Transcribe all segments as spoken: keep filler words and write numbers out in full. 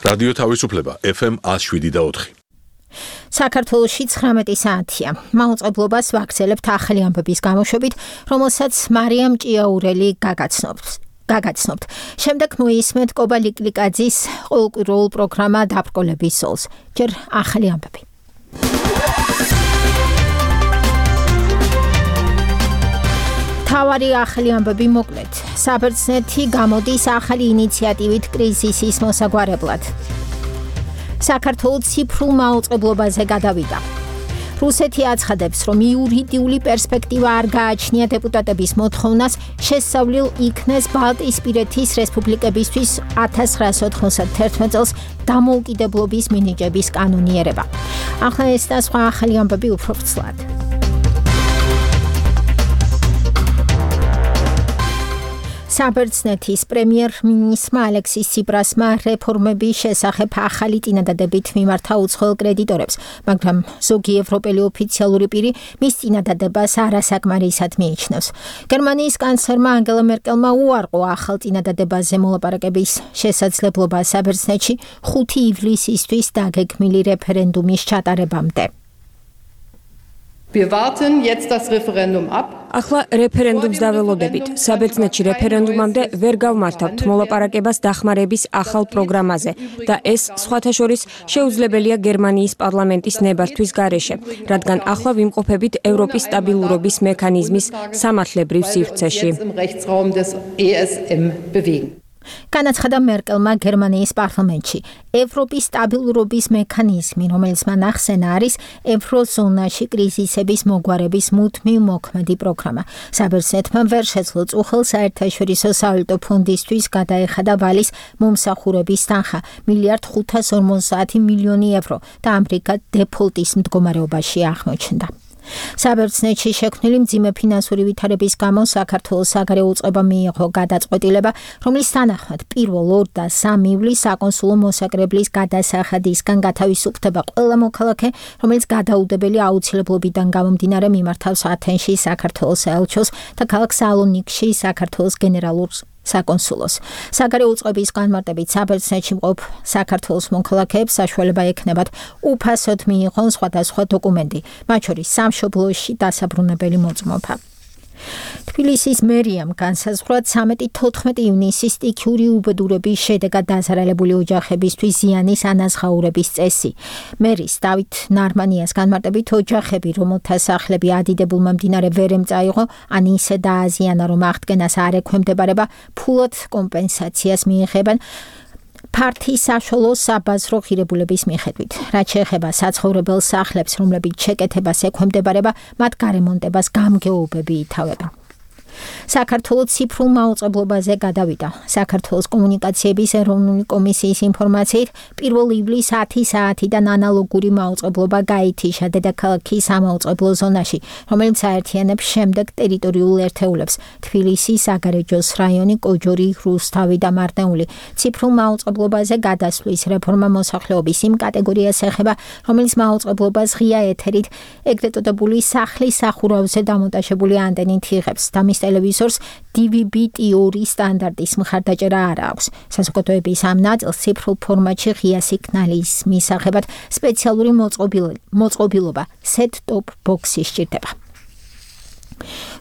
რადიო თავისუფლება ეფ ემ one oh seven და four. საქართველოში ცხრამეტი საათია. მაუწყებლობას ვაგრძელებთ ახალი ამბების გამოშვებით, რომელსაც მარიამ ჭიაურელი გაგაცნობთ. გაგაცნობთ. შემდეგ მოისმენთ კობა ლიკლიკაძის ყოველკვირეულ პროგრამა დაბრკოლების სოლს. ჯერ ახალი ამბები. თავარი ახალი ამბები მოკლედ. საბერძნეთი გამოდის ახალი ინიციატივით კრიზისის მოსაგვარებლად. საქართველო ციფრულ მაუწყებლობაზე გადავიდა. რუსეთი აცხადებს, რომ იურიდიული პერსპექტივა არ გააჩნია დეპუტატების მოთხოვნას შესწავლილ იქნეს ბალტიისპირეთის რესპუბლიკებისთვის one thousand nine hundred ninety-one წელს დამოუკიდებლობის მინიჭების კანონიერება. ახლა ეს და სხვა ახალი ამბები უფრო ვრცლად. საბერძნეთის პრემიერ-მინისტრმა ალექსის ციპრასმა რეფორმების შესახებ ახალი წინადადებით მიმართა უცხოელ კრედიტორებს, მაგრამ ზოგი ევროპელი ოფიციალური პირი მის წინადადებას არასაკმარისად მიიჩნევს. გერმანიის კანცლერმა ანგელა მერკელმა უარყო ახალ წინადადებაზე მოლაპარაკების შესაძლებლობა საბერძნეთში ხუთი ივლისისთვის დაგეგმილი რეფერენდუმის ჩატარებამდე. Wir warten jetzt das Referendum ab. ახლა რეფერენდუმს დაველოდებით. საბერძნეთში რეფერენდუმამდე ვერ გავმართავთ მოლაპარაკებას დახმარების ახალ პროგრამაზე და ეს სხვათა შორის შეუძლებელია გერმანიის პარლამენტის ნებართვის გარეშე, რადგან ახლა ვიმყოფებით ევროპის სტაბილურობის მექანიზმის სამართლებრივ სივრცეში. განაცხადა მერკელმა გერმანიის პარლამენტში. ევროპის სტაბილურობის მექანიზმი, რომელიც მან ახსენა, არის ევროზონაში კრიზისების მოგვარების მუდმივ მოქმედი პროგრამა. საბერძნეთმა ვერ შეძლო წუხელ საერთაშორისო სავალუტო ფონდისთვის გადაეხადა ვალის მომსახურების თანხა მილიარდ ხუთას ორმოცდაათი მილიონი ევრო და ამრიგად დეფოლტის მდგომარეობაში აღმოჩნდა. საბერძნეთში შექმნილი მძიმე ფინანსური ვითარების გამო საქართველოს საგარეო უწყებამ მიიღო გადაწყვეტილება, რომლის თანახმად პირველ ორ და სამი ივლისს საკონსულო მოსაკრებლის გადასახადისგან გათავისუფლდება ყველა მოქალაქე, რომელიც გადაუდებელი აუცილებლობიდან გამომდინარე მიმართავს ათენში საქართველოს საელჩოს და ქალაქ სალონიკში საქართველოს გენერალურ საკონსულოს. საგარეო უწყების განმარტებით საბერძნეთში მყოფ საქართველოს მოქალაქეებს საშუალება ექნებათ უფასოდ მიიღონ სხვადასხვა დოკუმენტი, მათ შორის სამშობლოში დასაბრუნებელი მოწმობა. თბილისის მერიამ განსაზღვრა ცამეტი თოთხმეტი ივნისის სტიქიური უბედურების შედეგად დაზარალებული ოჯახებისთვის ზიანის ანაზღაურების წესი. მერის დავით ნარმანიას განმარტებით ოჯახები, რომელთა სახლები ადიდებულმა მდინარე ვერ ემწაიღო, ან ისე დააზიანა, რომ აღდგენას არ ექვემდებარება, ფულად კომპენსაციას მიიღებენ ფართი საშუალო საბაზრო ღირებულების მიხედვით. რაც შეეხება საცხოვრებელ სახლებს, რომლებიც შეკეთებას ექვემდებარება, მათ გარემონტებას გამგეობები ითავებენ. საქართველოს ციფრულ მაუწყებლობაზე გადავიდა. საქართველოს კომუნიკაციების ეროვნული კომისიის ინფორმაციით, პირველ ივლისს ათი საათიდან ანალოგური მაუწყებლობა გაითიშა დედაქალაქის სამაუწყებლო ზონაში, რომელიც აერთიანებს შემდეგ ტერიტორიულ ერთეულებს: თბილისი, საგარეჯოს რაიონი, კოჯორი, რუსთავი და მარნეული. ციფრულ მაუწყებლობაზე გადასვლის რეფორმა მოსახლეობის იმ კატეგორიას ეხება, რომელიც მაუწყებლობას ღია ეთერით, ეგრეთ წოდებული სახლის სახურავზე დამონტაჟებული ანტენით იღებს და მის ტელევიზორს დი ვი ბი ტი ორი სტანდარტის მხარდაჭერა არ აქვს. საზოგადოების ამ ნაწილს ციფრულ ფორმატში ღია სიგნალის მისაღებად სპეციალური მოწყობილობა set-top box-ი სჭირდება.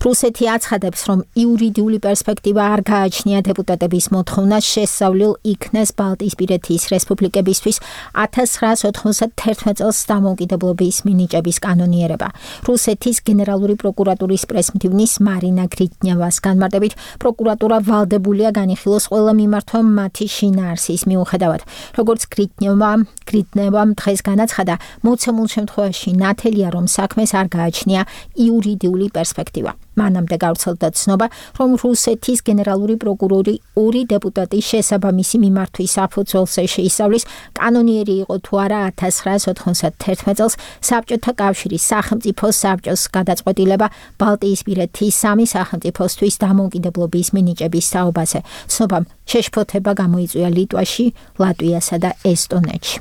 რუსეთი აცხადებს, რომ იურიდიული პერსპექტივა არ გააჩნია დეპუტატების მოთხოვნას შესწავლილ იქნეს ბალტიისპირეთის რესპუბლიკებისთვის one thousand nine hundred ninety-one წელს დამოუკიდებლობის მინიჭების კანონიერება. რუსეთის გენერალური პროკურატურის პრესმდივნის მარინა გრიტნევას განმარტებით, პროკურატურა ვალდებულია განიხილოს ყველა მიმართვა მათი შინაარსის მიუხედავად. როგორც გრიტნევა, გრიტნევამ დღეს განაცხადა, მოცემულ შემთხვევაში ნათელია, რომ საქმეს არ გააჩნია იურიდიული პერსპექტივა. მანამდე გავრცელდა ცნობა, რომ რუსეთის გენერალური პროკურორი ორი დეპუტატის შესაბამისი მიმართვის საფუძველზე შეისწავლის, კანონიერი იყო თუ არა one thousand nine hundred ninety-one წელს საბჭოთა კავშირის სახელმწიფო საბჭოს გადაწყვეტილება ბალტიისპირეთის სამი სახელმწიფოსთვის დამოუკიდებლობის მინიჭების თაობაზე. ცნობამ შეშფოთება გამოიწვია ლიტვაში, ლატვიასა და ესტონეთში.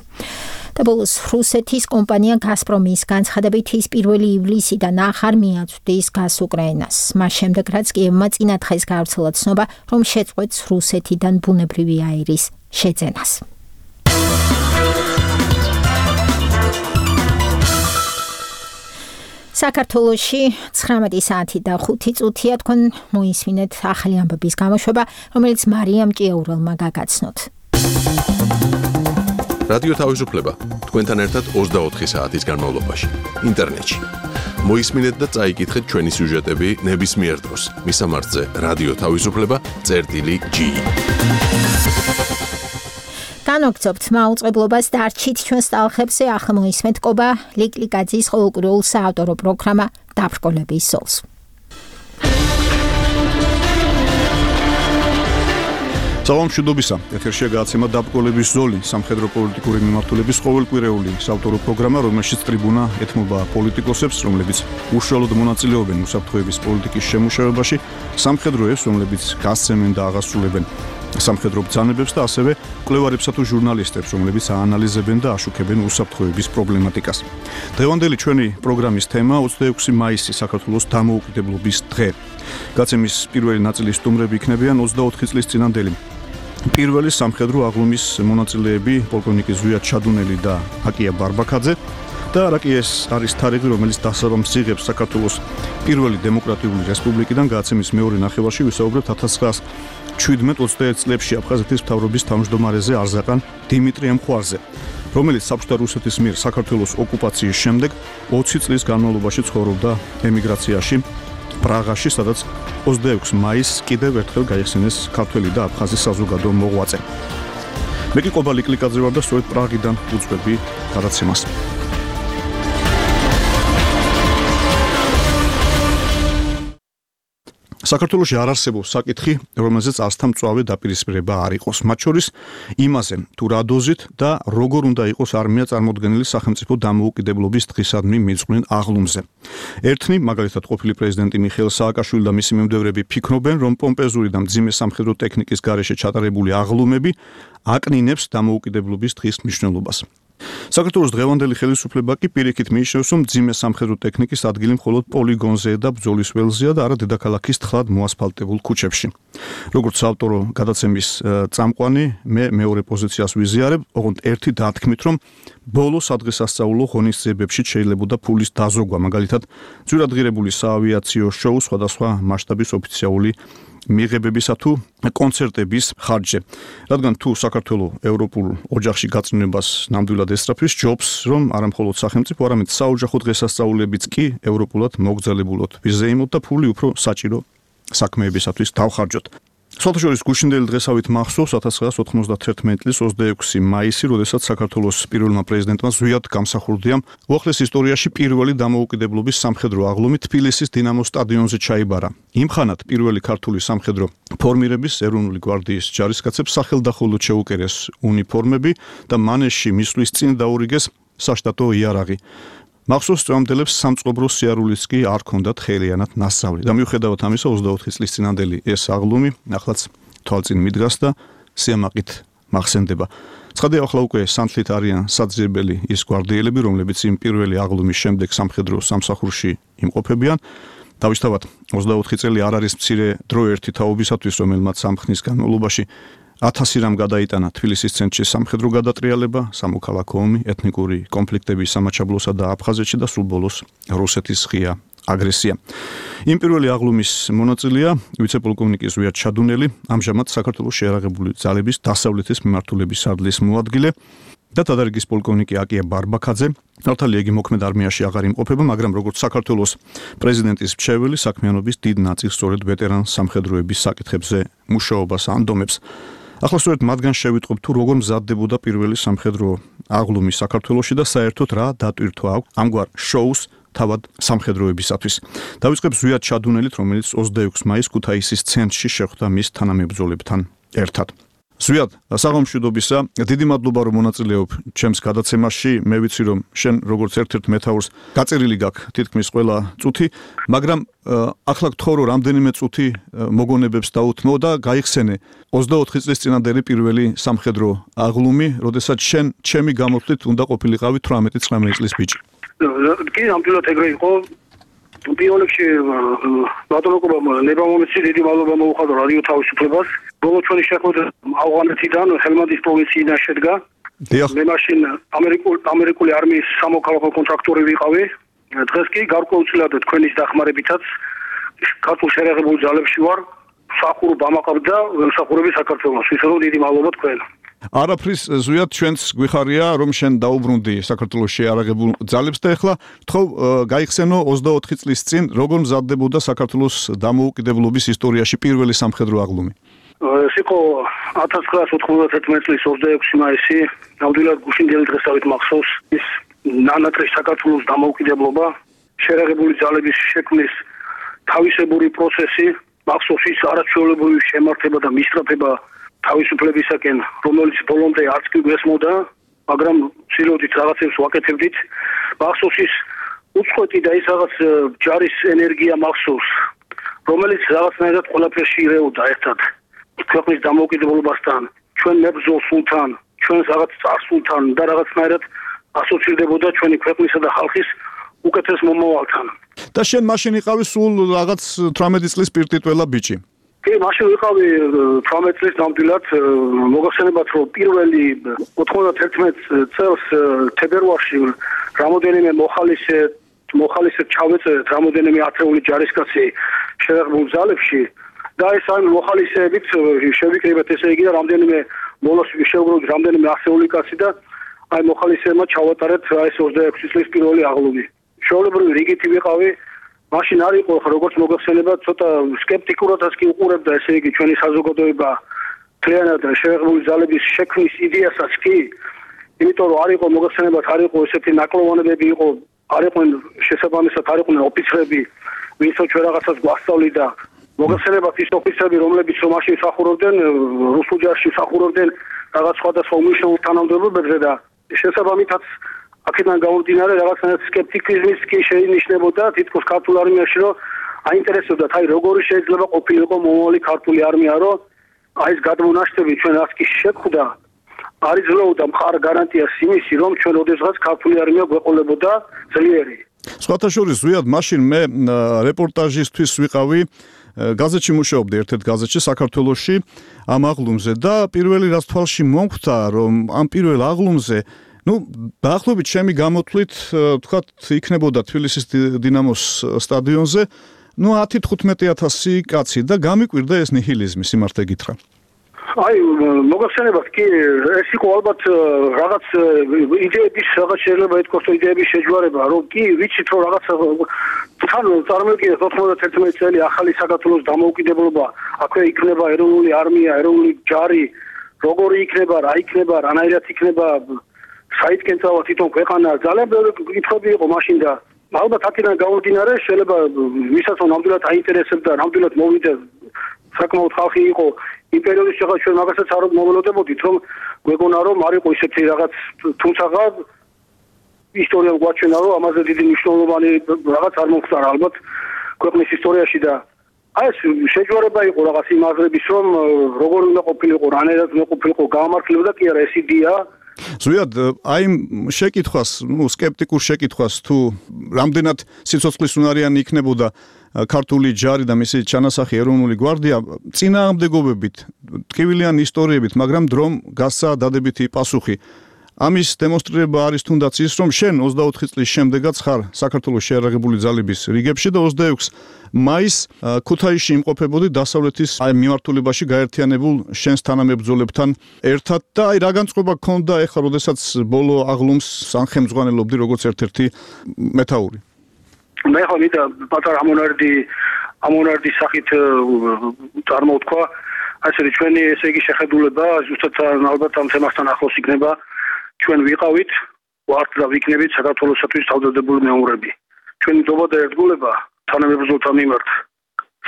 და ბოლოს რუსეთის კომპანია გაზპრომის განცხადებით ის პირველი ივლისიდან ახარ მიაწვდის გაზს უკრაინას. მას შემდეგ რაც კიევმა წინა დღეს გავრცელა ცნობა, რომ შეწყვეტს რუსეთიდან ბუნებრივი აირის შეძენას. საქართველოში ცხრამეტი საათი და ხუთი წუთია თქვენ მოისმინეთ ახალი ამბების გამოშვება, რომელიც მარიამ ჭიაურელმა გაგაცნოთ. რადიო თავისუფლება თქვენთან ერთად ოცდაოთხი საათის განმავლობაში ინტერნეტში. მოისმინეთ და წაიკითხეთ ჩვენი სიუჟეტები ნებისმიერ დროს. მისამართზე რადიო თავისუფლება წერტილი ჯი. განვაგრძობთ მაუწყებლობას დარჩით ჩვენს ტალღებზე. ახლა მოისმენთ კობა ლიკლიკაძის ყოველკვირეულ საავტორო პროგრამა დაბრკოლების ზოლს. საღამოშუდობისა, ეთერშია გააცემა დაბრკოლების ზოლი, სამხედრო პოლიტიკური მიმართულების ყოველკვირეული საავტორო პროგრამა, რომელშიც ტრიბუნა ეთმობა პოლიტიკოსებს, რომლებიც უშუალოდ მონაწილეობენ უსაფრთხოების პოლიტიკის შემუშავებაში, სამხედროებს, რომლებიც გასცემენ და აღასრულებენ სამხედრო ბრძანებებს და ასევე მკვლევარებსა თუ ჟურნალისტებს, რომლებიც აანალიზებენ და აშუქებენ უსაფრთხოების პრობლემატიკას. დღევანდელი ჩვენი პროგრამის თემა ოცდაექვსი მაისი საქართველოს დამოუკიდებლობის დღე. გაცემის პირველი ნაწილის სტუმრები იქნებიან ოცდაოთხი წლის წინანდელი პირველი სამხედრო აღლუმის მონაწილეები პოლკოვნიკი ზვიად ჩადუნელი და აკია ბარბაქაძე და რაკიეს არის თარიღი, რომელიც დასაბამს იღებს საქართველოს პირველი დემოკრატიული რესპუბლიკიდან გაცემის მეორე ნახევარში ვისაუბრებთ ათას ცხრაას შვიდმეტ ოცდაერთ წლებში აფხაზეთის მთავრობის თავმჯდომარეზე არზაყან დიმიტრიემ ხვარზე, რომელიც საბჭოთა რუსეთის მიერ საქართველოს ოკუპაციის შემდეგ ოცი წლის განმავლობაში ცხოვრობდა ემიგრაციაში პრაღაში, სადაც ოცდაექვსი მაისს კიდევ ერთხელ გაიხსენეს ქართველი და აფხაზი საზოგადო მოღვაწე. მე კი ყობა ლიკლიკაძე ვარ და სწორედ პრაღიდან უძღვები გადაცემას. საქართველოში არ არსებობს საკითხი, რომელზეც არცთა მწვავე დაპირისპირება არ იყოს. მათ შორის იმაზე, თუ რა დოზით და როგორ უნდა იყოს არმია წარმოდგენილი სახელმწიფო დამოუკიდებლობის დღისადმი მიწვნენ აღლუმზე. ერთნი, მაგალითად ყოფილი პრეზიდენტი მიხეილ სააკაშვილი და მისი მიმდევრები ფიქრობენ, რომ პომპეზური და მძიმე სამხედრო ტექნიკის გარეშე ჩატარებული აღლუმები აკნინებს დამოუკიდებლობის დღის მნიშვნელობას. საქართველოს დღევანდელი ხელისუფლება კი პირიქით მიიჩნევს, რომ მძიმე სამხედრო ტექნიკის ადგილი მხოლოდ პოლიგონზე და ბრძოლის ველზეა და არა დედაქალაქის თხლად მოასფალტებულ ქუჩებში. როგორც ავტორო გადაცემის წამყვანი, მე მეორე პოზიციას ვიზიარებ, ოღონდ ერთი დათქმით, რომ ბოლო სადღესასწაულო ღონისძიებებში შეიძლებოდა ფულის დაზოგვა, მაგალითად, ძვირადღირებული საავიაციო შოუ სხვადასხვა მასშტაბის ოფიციალური მიღებებისა თუ კონცერტების ხარჯზე. რადგან თუ საქართველოს ევროპულ ოჯახში გაწმენებას ნამდვილად ესწრაფვის, ჯობს, რომ არა მხოლოდ სახელმწიფო, არამედ საოჯახო დღესასწაულებიც კი ევროპულად მოგრძალებულოთ ვიზეიმოთ და ფული უფრო საჭირო საქმეებისათვის დავხარჯოთ. სოთაშორის გუშინდელი დღესავით მახსოვს ათას ცხრაას ოთხმოცდათერთმეტი წლის ოცდაექვსი მაისი, როდესაც საქართველოს პირველმა პრეზიდენტმა ზვიად გამსახურდიამ უახლეს ისტორიაში პირველი დამოუკიდებლობის სამხედრო აღლუმი თბილისის დინამოს სტადიონზე ჩაიბარა. იმხანად პირველი ქართული სამხედრო ფორმირების ეროვნული გვარდიის ჯარისკაცებს სახელდახელოდ შეუკერეს უნიფორმები და მანეშში მისვლის წინ დაურიგეს საშტატო იარაღი. მახსოვს წამდელებს სამწყობრო სიარულიც კი არ ქონდათ ხელიანად ნასწავლი და მიუხედავად ამისა ოცდაოთხი წლის წინანდელი ეს აღლუმი ახლაც თვალწინ მიდგას და სიამაყით მახსენდება. ცხადია, ახლა უკვე სანთლით არიან საძიებელი ის გვარდიელები, რომლებიც იმ პირველი აღლუმის შემდეგ სამხედრო სამსახურში იმყოფებიან. დავისთავად ოცდაოთხი წელი არ არის მცირე დრო ერთი თაობისათვის, რომელმაც ამ ხნის განმავლობაში ათასი რამ გადაიტანა თბილისის ცენტრში სამხედრო გადატრიალება, სამოქალაქო ომი, ეთნიკური კონფლიქტები სამაჩაბლოსა და აფხაზეთში და სულ ბოლოს რუსეთის ღია აგრესია. იმ პირველი აღლუმის მონაწილეა ვიცე-პოლკოვნიკი ზვიად ჩადუნელი, ამჟამად საქართველოს შეიარაღებული ძალების დასავლეთის მიმართულების სარდლის მოადგილე და თადარიგის პოლკოვნიკი აკია ბარბაქაძე. ნავთალი იგი მოქმედ არმიაში აღარ იმყოფება, მაგრამ როგორც საქართველოს პრეზიდენტის მრჩეველი საქმიანობის დიდ ნაწილს სწორედ ვეტერან სამხედროების საკითხებზე მუშაობას ანდომებს. ახლა სწორედ მათგან შევიტყობ თუ როგორ მზადდებოდა პირველი სამხედრო აღლუმი საქართველოში და საერთოდ რა დატვირთვა აქვს ამგვარ შოუს თავად სამხედროებისათვის. დავიწყებ ზვიად ჩადუნელით, რომელიც ოცდაექვსი მაისს ქუთაისის ცენტრში შეხვდა მის თანამებრძოლებთან ერთად. ზვიად, საღამოშუდობისა, დიდი მადლობა რომ მონაწილეობ ჩემს გადაცემაში. მე ვიცი რომ შენ როგორც ერთ-ერთ მეთაურს გაწერილი გაქვს თითქმის ყველა წუთი, მაგრამ ახლა გთხოვ რომ რამდენიმე წუთი მოგონებებს დაუთმო და გაიხსენე ოცდაოთხი წლის წინანდელი პირველი სამხედრო აღლუმი, როდესაც შენ ჩემი გამოთვლით უნდა ყოფილიყავი თვრამეტი ცხრამეტი წლის ბიჭი. კი, ნამდვილად ეგრე იყო. პირველ რიგში ბატონოკობამ ლებამომეცი დიდი მადლობა მოუხადო რადიო თავისუფლებას. ბოლო ჩვენი შეხვედრა ავღანეთიდან ჰელმანდის პროვინციიდან შედგა. მე მაშინ ამერიკული ამერიკული არმიის სამოქალაქო კონტრაქტორი ვიყავი დღეს კი გარკვეულწილად თქვენის დახმარებითაც ქართულ შერეღებულ ძალებში ვარ, მსახურობა ამაყობ და მსახურები საქართველოს. ვისაუბრ დიდი მადლობა თქვენ. არაფრის ზვიად ჩვენც გვიხარია რომ შენ დაუბრუნდი საქართველოს შეარაღებულ ძალებს და ეხლა თქო გაიხსენო ოცდაოთხი წლის წინ როგორ მზადდებოდა საქართველოს დამოუკიდებლობის ისტორიაში პირველი სამხედრო აღლუმი. ეს იყო ათას ცხრაასი ოთხმოცდათერთმეტი წლის ოცდაექვსი მაისი, ნამდვილად გუშინდელი დღესავით მახსოვს ის ნანატრის საქართველოს დამოუკიდებლობა, შეერაღებული ძალების შექმნის თავისებური პროცესი, მახსოვს ის არაჩვეულებრივი შემართება და მისწრაფება თავისუფლებისაკენ, რომელიც ბოლომდე არც კი გვესმოდა, მაგრამ ცდილობდით რაღაცებს ვაკეთებდით. მახსოვს ის უწყვეტი და ის რაღაც ჯარის ენერგია მახსოვს, რომელიც რაღაცნაირად ყველაფერში ირეოდა ერთად. ქვეყნის დამოუკიდებლობასთან, ჩვენ მებრძოლსულთან, ჩვენს რაღაც წარსულთან და რაღაცნაირად ასოცირდებოდა ჩვენი ქვეყნისა და ხალხის უკეთეს მომავალთან. და შენ მაშინ იყავი სულ რაღაც თვრამეტი წლის პირტიტველა ბიჭი. კი, მაშინ ვიყავი თვრამეტი წლის ნამდვილად, მოგახსენებათ რომ პირველი ოთხმოცდათერთმეტი წელს თებერვალში რამოდენიმე მოხალისე მოხალისე ჩავეწერეთ რამოდენიმე ათეული ჯარისკაცი შეერაღებულ ძალებში და ეს ამ მოხალისეებით შევიკრიბეთ ესე იგი და რამდენიმე მოლოს შევგროვთ რამდენიმე ასეული კაცი და აი მოხალისეებმა ჩავატარეთ ეს ოცდაექვსი წლის პირველი აღლუმი. შეულებრივი რიგითი ვიყავი, მაშინ არ იყო როგორც მოგახსენება ცოტა სკეპტიკურადაც კი უყურებდა ესე იგი ჩვენი საზოგადოება მთლიანად შეერაღებული ძალების შექმნის იდეასაც კი, იმიტომ რომ არ იყო მოგახსენებათ არ იყო ესეთი ნაკლოვანებები იყო, არ იყვნენ შესაბამისად არ იყვნენ ოფიცრები, ვინცო ჩვენ რაღაცას გვასწავლიდა. მოგახსენებათ ის ოფიცრები, რომლებიც რომ მაშინ მსახურობდნენ რუსულ ჯარში მსახურობდნენ რაღაც სხვადასხვა უმნიშვნელო თანამდებობებზე და შესაბამითაც აქედან გამომდინარე რაღაცნაირად სკეპტიციზმის კი შეინიშნებოდა თითქოს ქართულ არმიაში რომ აინტერესებდათ აი როგორი შეიძლება ყოფილიყო მომავალი ქართული არმია რომ აი ეს გადმონაშთები ჩვენ რაც კი შეხვდა არ იძლეოდა მხარ გარანტიას იმისი რომ ჩვენ ოდესღაც ქართული არმია გვეყოლებოდა ძლიერი. სხვათა შორის ზვიად მაშინ მე რეპორტაჟისთვის ვიყავი გაზეთში მუშაობდი ერთ-ერთ გაზეთში საქართველოში ამ აღლუმზე და პირველი რაც თვალში მომხვდა რომ ამ პირველ აღლუმზე ну დაახლოებით ჩემი გამოთვლით თქვათ იქნებოდა თბილისის დინამოს სტადიონზე ну ათი თხუთმეტი ათასი კაცი და გამიკვირდა ეს ნიჰილიზმი სიმართლე გითხრა. აი მოგახსენებათ კი ეს იყო ალბათ რაღაც იდეების რაღაც შეიძლება ითქვას რომ იდეების შეჯვარება რომ კი ვიცით რომ რაღაც თან წარმოვიდგინეთ ოთხმოცდათერთმეტი წელი ახალი საქართველოს დამოუკიდებლობა აქვე იქნება ეროვნული არმია ეროვნული ჯარი როგორი იქნება რა იქნება რანაირად იქნება საითკენ წავა თვითონ ქვეყანა ძალიან ბევრი კითხვები იყო მაშინ და ალბათ აქედან გამომდინარე შეიძლება ვისაც ნამდვილად აინტერესებდა ნამდვილად მოვიდა საკმაოდ ხალხი იყო იმ პერიოდის შეხა ჩვენ მაგასაც არ მოველოდებოდით რომ გვეგონა რომ არ იყო ისეთი რაღაც თუმცა ისტორია გვაჩვენა რომ ამაზე დიდი მნიშვნელოვანი რაღაც არ მომხდარა ალბათ ქვეყნის ისტორიაში და აი ეს შეჯვარება იყო რაღაც იმ აზრების რომ როგორ უნდა ყოფილიყო რანაირად უნდა ყოფილიყო გამართლებოდა კი არა ეს იდეა ზვიად აი შეკითხვას ნუ სკეპტიკურ შეკითხვას თუ რამდენად სიცოცხლის უნარიანი იქნებოდა ქართული ჯარი და მისი ჩანასახი ეროვნული გვარდია წინააღმდეგობებით ტკივილიანი ისტორიებით მაგრამ დრომ გასცა დადებითი პასუხი ამის დემონსტრირება არის თუნდაც ის რომ შენ ოცდაოთხი წლის შემდეგაც ხარ საქართველოს შეერაღებული ძალების რიგებში და ოცდაექვსი მაისს ქუთაისში იმყოფებოდი დასავლეთის აი მიმართულებაში გაერთიანებულ შენს თანამებრძოლებთან ერთად და აი რა განწყობა გქონდა ეხლა როდესაც ბოლო აღლუმს სამხემძღვანელობდი როგორც ერთ-ერთი მეთაური მე ხო ვიდა პატარა ამონარდი ამონარდის სახით წარმოვთქვა ასე ჩვენი ესე იგი შეხედულება ზუსტად ალბათ ამ თემასთან ახლოს იქნება ჩვენ ვიყავით ვართ და ვიქნებით საქართველოსთვის თავდადებული მეომრები ჩვენი დობა და ერთგულება თანამებრძოლთა მიმართ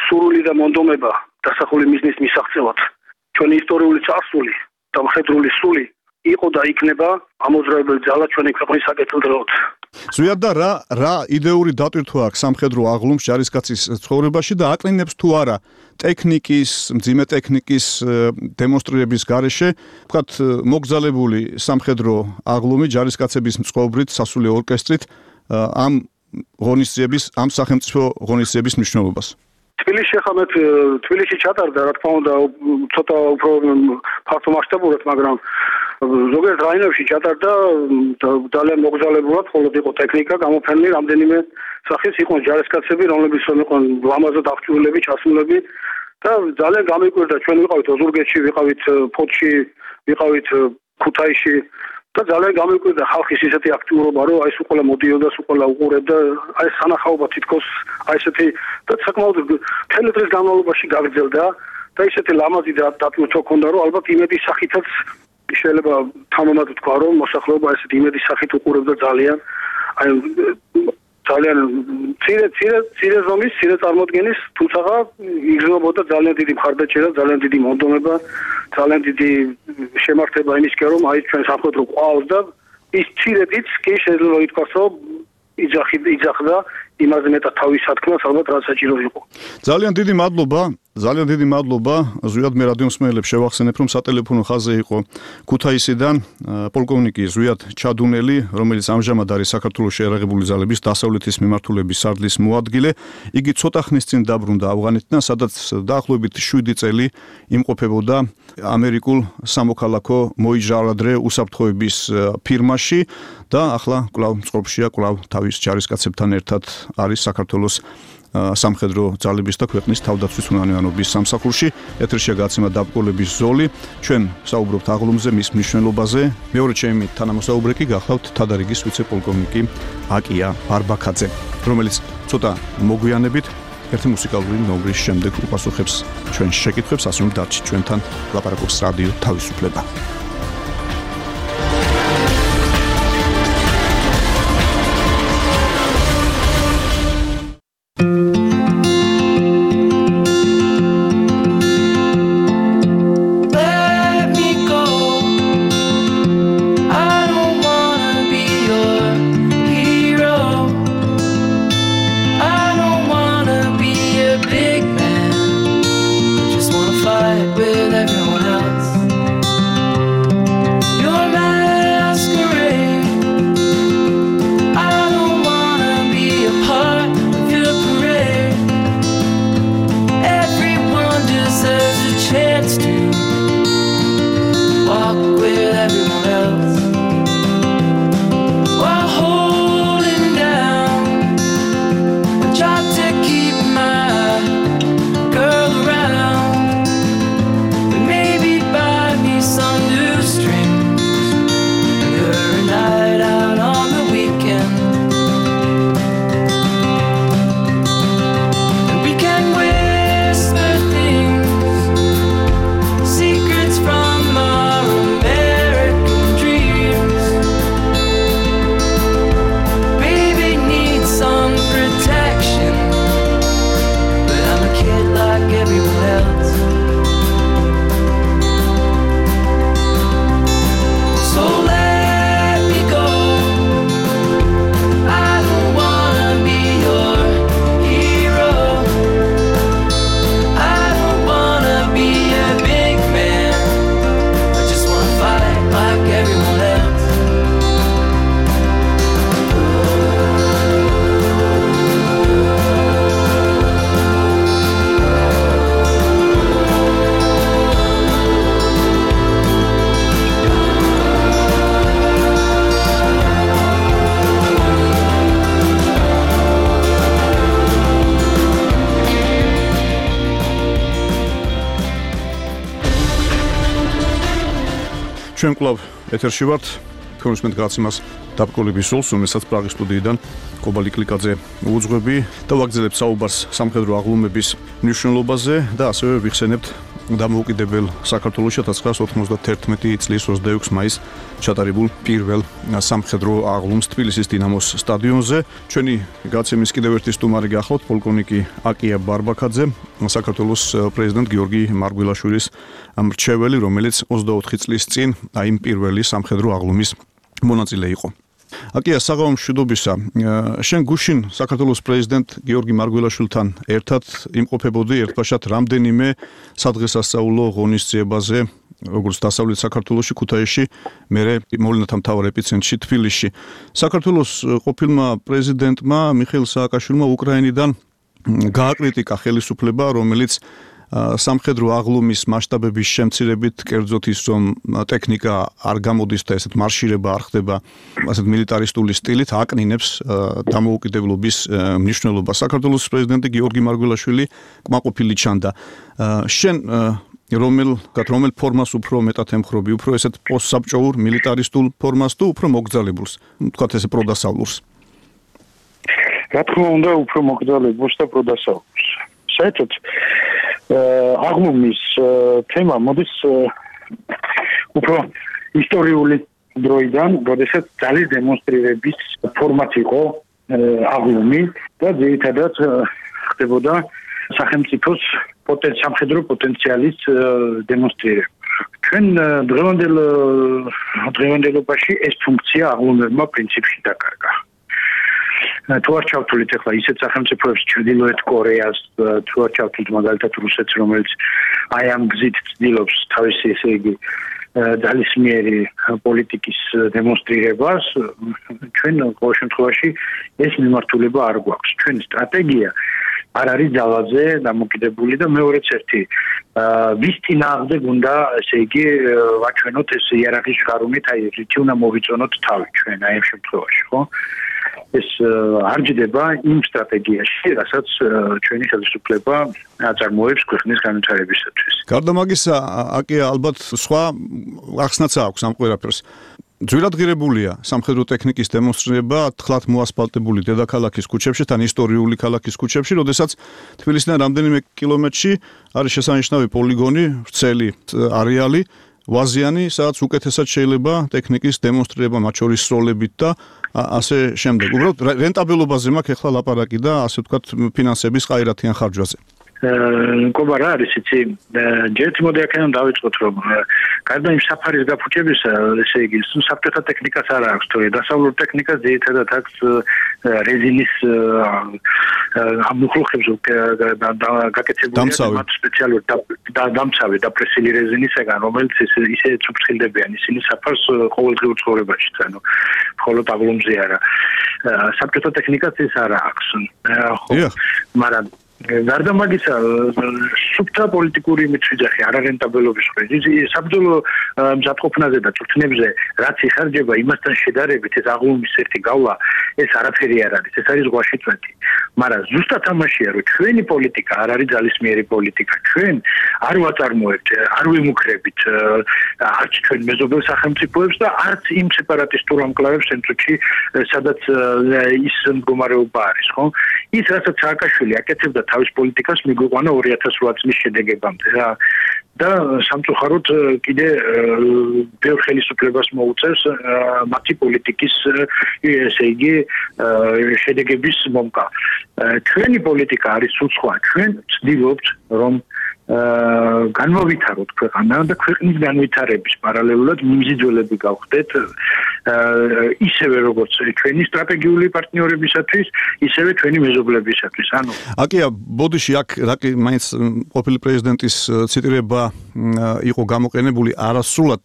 სურვილი და მონდომება დასახული მიზნის მისაღწევად ჩვენი ისტორიული წარსული და მხედრული სული იყო და იქნება ამოძრავებელი ძალა ჩვენი ქვეყნის საკეთილდღეოდ ზვიად და რა რა იდეური დატვირთვა აქვს სამხედრო აღლუმს ჯარისკაცის ცხოვრებაში და აკლინებს თუ არა ტექნიკის, მძიმე ტექნიკის დემონსტრირების გარეშე, ვთქვათ, მოგზალებული სამხედრო აღლუმი ჯარისკაცების მწყობრით, სასულე ორკესტრით ამ ღონისძიების, ამ სახელმწიფო ღონისძიების მნიშვნელობას. თბილისში ხამეთ თბილისში ჩატარდა, რა თქმა უნდა, ცოტა უფრო ფართო მასშტაბურად, მაგრამ ზოგიერთ რაიონებში ჩატარდა ძალიან მოგზაურობულად, მხოლოდ იყო ტექნიკა გამოფენილი, რამდენიმე სახის იყო ჯარისკაცები, რომლებიც იყვნენ ლამაზად აღჭურვილები, ჩასმულები და ძალიან გამიკვირდა, ჩვენ ვიყავით ოზურგეთში, ვიყავით ფოთში, ვიყავით ქუთაისში და ძალიან გამიკვირდა ხალხის ისეთი აქტიურობა, რომ აი ეს უყოლა მოდიოდა, უყოლა უყურებდა, აი ეს სანახაობა თითქოს აი ესეთი და საკმაოდ მთელი დღის განმავლობაში გაგრძელდა და ისეთი ლამაზი დატვირთვა ქონდა, რომ ალბათ იმედის სახითაც შეიძლება თამამად თქვა, რომ მოსახლეობა ესეთი იმედის სახით უყურებდა ძალიან აი ძალიან ცირე ცირე ცირე ზომის, ცირე წარმოდგენის, თუმცა იგრძნობოდა ძალიან დიდი მხარდაჭერა, ძალიან დიდი მონდომება, ძალიან დიდი შემართება იმისკენ, რომ აი ჩვენ სამხედრო ყავს და ის ცირედიც კი შეიძლება ითქვას, რომ იძახი იძახდა იმაზე მეტად თავის სათქმას, ალბათ რაც საჭირო იყო. ძალიან დიდი მადლობა. ძალიან დიდი მადლობა. ზვიად მე რადიო მსმენელებს შევახსენებ, რომ სატელეფონო ხაზზე იყო ქუთაისიდან პოლკოვნიკი ზვიად ჩადუნელი, რომელიც ამჟამად არის საქართველოს შეიარაღებული ძალების დასავლეთის მიმართულების სარდლის მოადგილე. იგი ცოტა ხნის წინ დაბრუნდა ავღანეთიდან, სადაც დაახლოებით შვიდი წელი იმყოფებოდა ამერიკულ სამოქალაქო მოიჟარადრე უსაფრთხოების ფირმაში და ახლა კვლავ წყობშია, კვლავ თავის ჯარისკაცებთან ერთად არის საქართველოს სამხედრო ძალების და ქვეყნის თავდაცვის უნანიანობის სამსახურში. ეთერშია გაცემა დაბკოლების ზოლი. ჩვენ საუბრობთ აღლუმზე, მის მნიშვნელობაზე. მეორე ჩემი თანამოსაუბრე კი გახლავთ თადარიგის ვიცე-პოლკოვნიკი აკია ბარბაქაძე, რომელიც ცოტა მოგვიანებით ერთი მუსიკალური ნომრის შემდეგ უპასუხებს ჩვენ შეკითხვებს, ასე რომ დარჩით ჩვენთან, ლაპარაკობს რადიო თავისუფლება. ჩვენ კვლავ ეთერში ვართ, თორმეტ გრაციმას დაბკოლების ზოლს, რომელსაც პრაღის სტუდიიდან კობალი კლიკაძე უძღვები და ვაგრძელებთ საუბარს სამხედრო აღლუმების მნიშვნელობაზე და ასევე ვიხსენებთ დამოუკიდებელ საქართველოს ოქროს ოცდაათი წლის ოცდაექვსი მაისს ჩატარებულ პირველ სამხედრო აღლუმს თბილისის დინამოს სტადიონზე. ჩვენი გაცემის კიდევ ერთი სტუმარი გახლავთ პოლკოვნიკი აკია ბარბაქაძე, საქართველოს პრეზიდენტ გიორგი მარგველაშვილის მრჩეველი, რომელიც ოცდაოთხი წლის წინ აი იმ პირველი სამხედრო აღლუმის მონაწილე იყო. აკია, საღამო მშვიდობისა. შენ გუშინ საქართველოს პრეზიდენტ გიორგი მარგველაშვილთან ერთად იმყოფებოდი ერთბაშად რამდენიმე სადღესასწაულო ღონისძიებაზე, როგორც დასავლეთ საქართველოში, ქუთაისში, მერე მოვლენათა მთავარ ეპიცენტრში თბილისში. საქართველოს ყოფილმა პრეზიდენტმა მიხეილ სააკაშვილმა უკრაინიდან გააკრიტიკა ხელისუფლება, რომელიც სამხედრო აღლუმის მასშტაბების შემცირებით, კერძოდ ის რომ ტექნიკა არ გამოდის და ესეთ მარშირება არ ხდება ასეთ მილიტარისტული სტილით, აკნინებს დამოუკიდებლობის მნიშვნელობას. საქართველოს პრეზიდენტი გიორგი მარგველაშვილი კმაყოფილი ჩანდა. შენ რომელ რომელ ფორმას უფრო მეტად ემხრობი, უფრო ესეთ პოსტსაბჭოურ მილიტარისტულ ფორმას თუ უფრო მოგრძალებულს, თქვათ ესე პროდასავლურს? რა თქმა უნდა, უფრო მოგრძალებულს და პროდასავლურს. საერთოდ აღლუმის თემა მოდის უფრო ისტორიული დროიდან, როდესაც ძალის დემონსტრირების ფორმატ იყო აღლუმი და ძირითადად ხდებოდა სახელმწიფოს სამხედრო პოტენციალის დემონსტრირება. ჩვენ დღევანდელ დღევანდელობაში ეს ფუნქცია აღლუმებმა პრინციპში დაკარგა. თუ არ ჩავთვლით ახლა ისეთ სახელმწიფოებს ჩრდილოეთ კორეას, თუ არ ჩავთვლით მაგალითად რუსეთს, რომელიც აი ამ გზით ცდილობს თავისი ესე იგი ძალისმიერი პოლიტიკის დემონსტრირებას, ჩვენ ყოველ შემთხვევაში ეს მიმართულება არ გვაქვს. ჩვენი სტრატეგია არ არის ძალაზე დამოკიდებული და მეორეც ერთი ვის წინააღმდეგ უნდა ესე იგი ვაჩვენოთ ეს იერარქიის შრომით, აი რითი უნდა მოვიწონოთ თავი ჩვენ აი ამ შემთხვევაში, ხო? ეს არ ჯდება იმ სტრატეგიაში, რასაც ჩვენი ხელისუფლება აწარმოებს ქვეყნის განვითარებისათვის. გარდა მაგისა, აკია ალბათ სხვა ახსნაც აქვს ამ ყველაფერს. ძვირადღირებულია სამხედრო ტექნიკის დემონსტრირება თხლად მოასფალტებული დედაქალაქის ქუჩებში, თან ისტორიული ქალაქის ქუჩებში, როდესაც თბილისიდან რამდენიმე კილომეტრში არის შესანიშნავი პოლიგონი, ვრცელი არეალი, ვაზიანი, სადაც უკეთესად შეიძლება ტექნიკის დემონსტრირება, მათ შორის სროლებით და ასე შემდეგ. უბრალოდ რენტაბელობაზე მაქვს ახლა ლაპარაკი და ასე ვთქვათ ფინანსების ყაირათიან ხარჯვაზე. მკობა რა არის იცი ჯერ მოდი აქედან დავიწყოთ რომ გარდა იმ საფარის გაფუჭებისა ესე იგი საბჭოთა ტექნიკას არ აქვს თორე დასავლურ ტექნიკას ძირითადად აქვს რეზინის ამუხლუხებს გაკეთებულია მათ სპეციალურ დამცავი დაპრესილი რეზინისაგან რომელიც ისე ცუცხილდებიან ისინი საფარს ყოველდღიურ ცხოვრებაში ანუ მხოლოდ აღლუმზე არა საბჭოთა ტექნიკას ეს არ აქვს ხო მაგრამ გარდა მაგისა სუფთა პოლიტიკური მიწვიძახი არარენტაბელობის ხრით საბრძოლო მზადყოფნაზე და წვრთნებზე რაც იხარჯება იმასთან შედარებით ეს აღლუმის ერთი გავლა ეს არაფერი არ არის ეს არის ზღვაში წვეთი მაგრამ ზუსტად ამაშია რომ ჩვენი პოლიტიკა არ არის ძალისმიერი პოლიტიკა ჩვენ არ ვაწარმოებთ არ ვიმუქრებით არც ჩვენ მეზობელ სახელმწიფოებს და არც იმ სეპარატისტურ ამკლავებს ცენტრში სადაც ის მდგომარეობა არის ხო ის რასაც სააკაშვილი აკეთებდა თავის პოლიტიკას მიგვიყვანა ორი ათას რვა წლის შედეგებამდე რა და სამწუხაროდ კიდე ბევრ ხელისუფლებას მოუწევს მათი პოლიტიკის ესე იგი შედეგების მომკა. ჩვენი პოლიტიკა არის სულ სხვა. ჩვენ ვცდილობთ რომ განმოვითაროთ ქვეყანა და ქვეყნის განვითარების პარალელურად მიმზიდველები გავხდეთ ისევე როგორც ჩვენი სტრატეგიული პარტნიორებისათვის, ისევე ჩვენი მეზობლებისათვის. ანუ აკია ბოდიში აქ რაკი მაინც ყოფილი პრეზიდენტის ციტირება იყო გამოყენებული არასრულად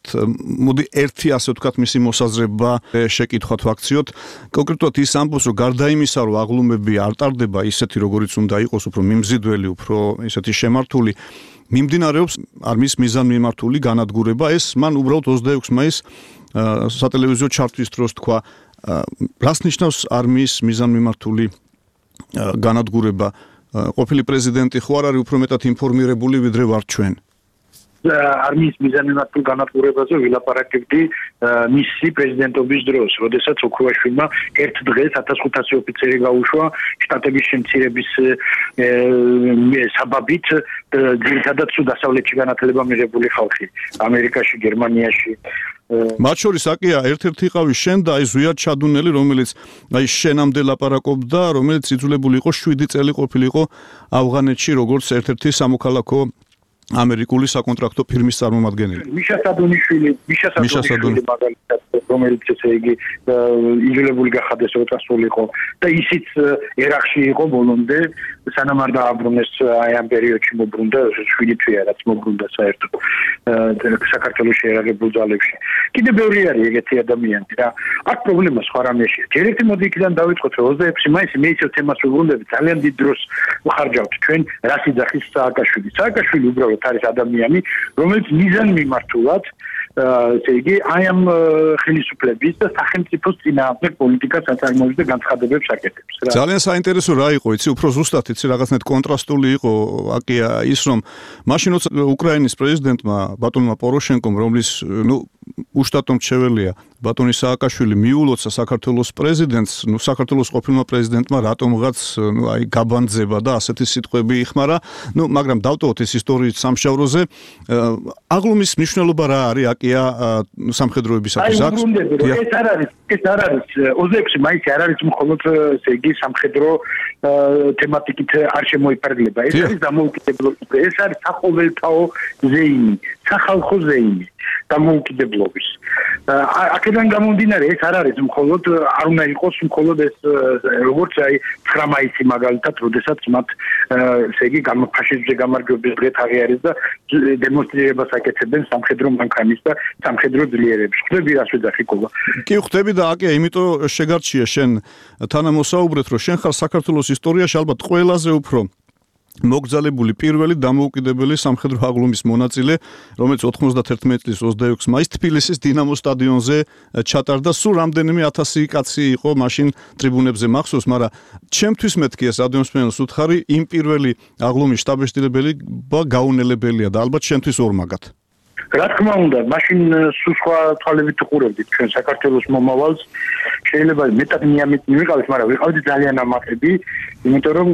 მოდი ერთი ასე ვთქვათ მისი მოსაზრება შეკითხვათ ვაქციოთ კონკრეტულად ის ამბობს რომ გარდა იმისა რომ აღლუმები არ ტარდება ისეთი როგორიც უნდა იყოს უფრო მიმზიდველი უფრო ისეთი შემართული მიმდინარეობს არმიის მიზანმიმართული განადგურება ეს მან უბრალოდ ოცდაექვსი მაისს სატელევიზიო ჩარტვის დროს თქვა რას ნიშნავს არმიის მიზანმიმართული განადგურება ყოფილი პრეზიდენტი ხო არ არის უფრო მეტად ინფორმირებული ვიდრე ვართ ჩვენ არმიის მიზანმიმართულ განადგურებაზე ვილაპარაკებდი მისი პრეზიდენტობის დროს, როდესაც ოქროაშვილმა ერთ დღეს ათას ხუთასი ოფიცერი გაუშვა შტატების შემცირების საბაბით ძირითადად დასავლეთში განათლება მიღებული ხალხი, ამერიკაში, გერმანიაში მათ შორის აკია ერთ-ერთი იყავი შენ და აი ზვიად ჩადუნელი რომელიც აი შენამდე ლაპარაკობდა რომელიც იძულებული იყო შვიდი წელი ყოფილიყო ავღანეთში როგორც ერთ-ერთი სამოქალაქო ამერიკული საკონტრაქტო ფირმის წარმომადგენელი. მიშა სადონიშვილი, მიშა სადონიშვილი მაგალითად, რომელიც ესე იგი იძულებული გახადეს როტასულიყო და ისიც ერახში იყო ბოლომდე, სანამ არ დააბრუნეს აი ამ პერიოდში მოbrunდა შვიდი თვეა რაც მოbrunდა საერთოდ საქართველოს შეერაგებულ ძალებში. კიდე ბევრი არის ეგეთი ადამიანები რა. აქ პრობლემა სხვა რამეშია. ჯერ ერთი მოდი იქიდან დავიწყოთ რომ ოცდაექვსი მაისი მე ისევ თემას ვუბრუნდები ძალიან დიდ დროს ვხარჯავთ ჩვენ რას იძახის სააკაშვილი. სააკაშვილი უბრალოდ არის ადამიანი, რომელიც მიზან მიმართულად, ესე იგი, აი ამ ხელისუფლების და სახელმწიფოს წინააღმდეგ პოლიტიკას აწარმოებს და განცხადებებს აკეთებს რა. ძალიან საინტერესო რა იყო, იცი, უფრო ზუსტად იცი, რაღაცნაირად კონტრასტული იყო აკია ის, რომ მაშინ როცა უკრაინის პრეზიდენტმა ბატონმა პოროშენკომ, რომლის, ნუ, უშტატო მრჩეველია ბატონი სააკაშვილი მიულოცა საქართველოს პრეზიდენტს, ნუ საქართველოს ყოფილმა პრეზიდენტმა რატომღაც, ნუ აი გაბანძება და ასეთი სიტყვები იხმარა, ნუ მაგრამ დავტოვოთ ეს ისტორიის სამშაბლოზე. აღლუმის მნიშვნელობა რა არის აკია სამხედროებისათვის აქვს? აი, ეს არ არის, ეს არ არის ოცდაექვსი მაისი არ არის მხოლოდ ესე იგი სამხედრო თემატიკით არ შემოიფარგლება. ეს არის დამოუკიდებლობა, ეს არის საყოველთაო ზეიმი, სახალხო ზეიმი დამოუკიდებლობის. აქედან გამომდინარე ეს არ არის მხოლოდ არ უნდა იყოს მხოლოდ ეს როგორც აი ცხრა მაისი მაგალითად, როდესაც მათ ესე იგი ფაშიზმზე გამარჯვების დღე თაღი არის და დემონსტრირებას აკეთებენ სამხედრო მანქანის და სამხედრო ძლიერების. ხვდები რას ვეძახი კობა? კი ხვდები და აკია, იმიტომ შეგარჩია შენ თანამოსაუბრეთ, რომ შენ ხარ საქართველოს ისტორიაში ალბათ ყველაზე უფრო მოგზალებული პირველი დამოუკიდებელი სამხედრო აღლუმის მონაწილე, რომელიც ოთხმოცდაერთი წლის ოცდაექვსი მაისს თბილისის დინამოს სტადიონზე ჩატარდა. სულ რამდენიმე ათასი კაცი იყო მაშინ ტრიბუნებზე მახსოვს, მაგრამ ჩემთვის მეთქი ეს რადიომსმენელს უთხარი, იმ პირველი აღლუმის შტაბ-ეშტილებელი გაუნელებელია და ალბათ შენთვის ორმაგად. რა თქმა უნდა, მაშინ სულ სხვა თვალებით უყურებდით ჩვენ საქართველოს მომავალს. შეიძლება მეტად მიამით მივიყავით, მაგრამ ვიყავით ძალიან ამაყები, იმიტომ რომ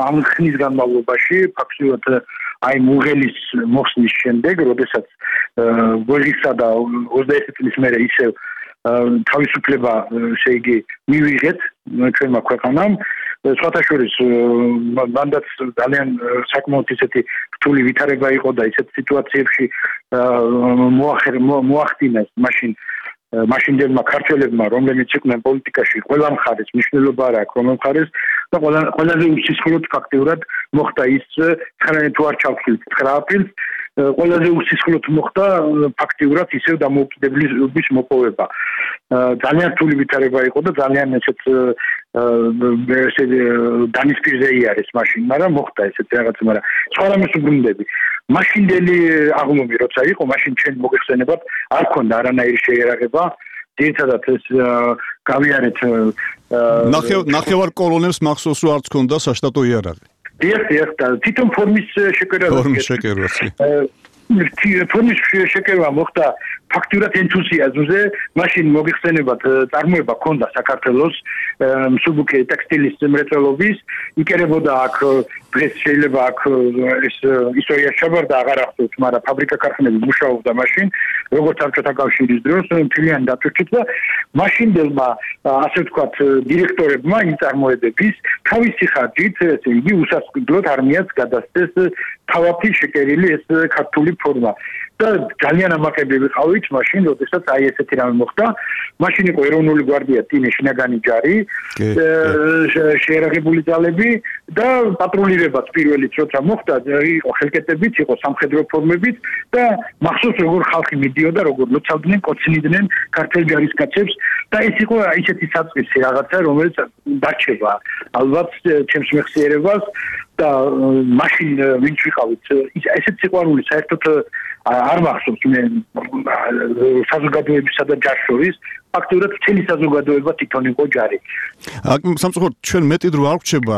ამ ხნის განმავლობაში ფაქტობრივად აი მუღელის მოხსნის შემდეგ, როდესაც გოჟისა და ოცდაერთი წლის მერე ისევ თავისუფლება ესე იგი მივიღეთ ჩვენმა ქვეყანამ, სხვათა შორის მანდაც ძალიან საკმაოდ ისეთი რთული ვითარება იყო და ისეთ სიტუაციებში მოახდინეს მაშინ მაშინდელმა ქართველებმა, რომლებიც იყვნენ პოლიტიკაში, ყველა მხარეს მნიშვნელობა არ აქვს, რომელ მხარეს და ყველაზე უსისხლოდ ფაქტიურად მოხდა ის ცხრა თუ არ ჩავხილთ ცხრა აპრილს, ყველაზე უსისხლოდ მოხდა ფაქტიურად ისევ დამოუკიდებლობის მოპოვება. ძალიან რთული ვითარება იყო და ძალიან ესეც ესე დანისპირზე იარეს მაშინ, მაგრამ მოხდა ესეთი რაღაცა, მაგრამ სხვა რამეს უბრუნდები. მაშინდელი აღლუმი როცა იყო, მაშინ ჩვენ მოგეხსენებათ, არ ქონდა არანაირი შეერაღება. ძირითადად ეს გავიარეთ ნახევარ კოლონებს მახსოვს, რომ არც ქონდა საშტატო იარაღი. დიახ, დიახ, თვითონ ფორმის შეკერება. ფორმის შეკერება. ფორმის შეკერება მოხდა ფაქტურად ენთუზიაზმზე, მაშინ მოგეხსენებათ, წარმოება ქონდა საქართველოს მსუბუქი ტექსტილის მრეწველობის, იკერებოდა აქ დღეს შეიძლება აქ ეს ისტორია შაბარდა აღარ ახსოვთ, მაგრამ ფაბრიკა ქარხნები მუშაობდა მაშინ, როგორც საბჭოთა კავშირის დროს, მთლიანი დატვირთვით და მაშინდელმა ასე ვთქვათ დირექტორებმა იმ წარმოებების თავისი ხარჯით, ესე იგი უსასყიდლოდ არმიას გადასცეს თავაფი შეკერილი ეს ქართული ფორმა. და ძალიან ამაყები ვიყავით მაშინ, როდესაც აი ესეთი რამე მოხდა. მაშინ იყო ეროვნული გვარდია, ტინე შინაგანი ჯარი, შეერაღებული ძალები და პატრულირებაც პირველიც როცა მოხდა, იყო ხელკეტებით, იყო სამხედრო ფორმებით და მახსოვს როგორ ხალხი მიდიოდა, როგორ ლოცავდნენ, კოცნიდნენ ქართულ ჯარისკაცებს და ეს იყო ისეთი საწყისი რაღაცა, რომელიც დარჩება ალბათ ჩემს მეხსიერებას და მაშინ ვინც ვიყავით, ესეც სიყვარული საერთოდ არ მახსოვს მე საზოგადოებისა და ჯარს შორის, ფაქტობრივად მთელი საზოგადოება თვითონ იყო ჯარი. სამწუხაროდ ჩვენ მეტი დრო არ გვჭება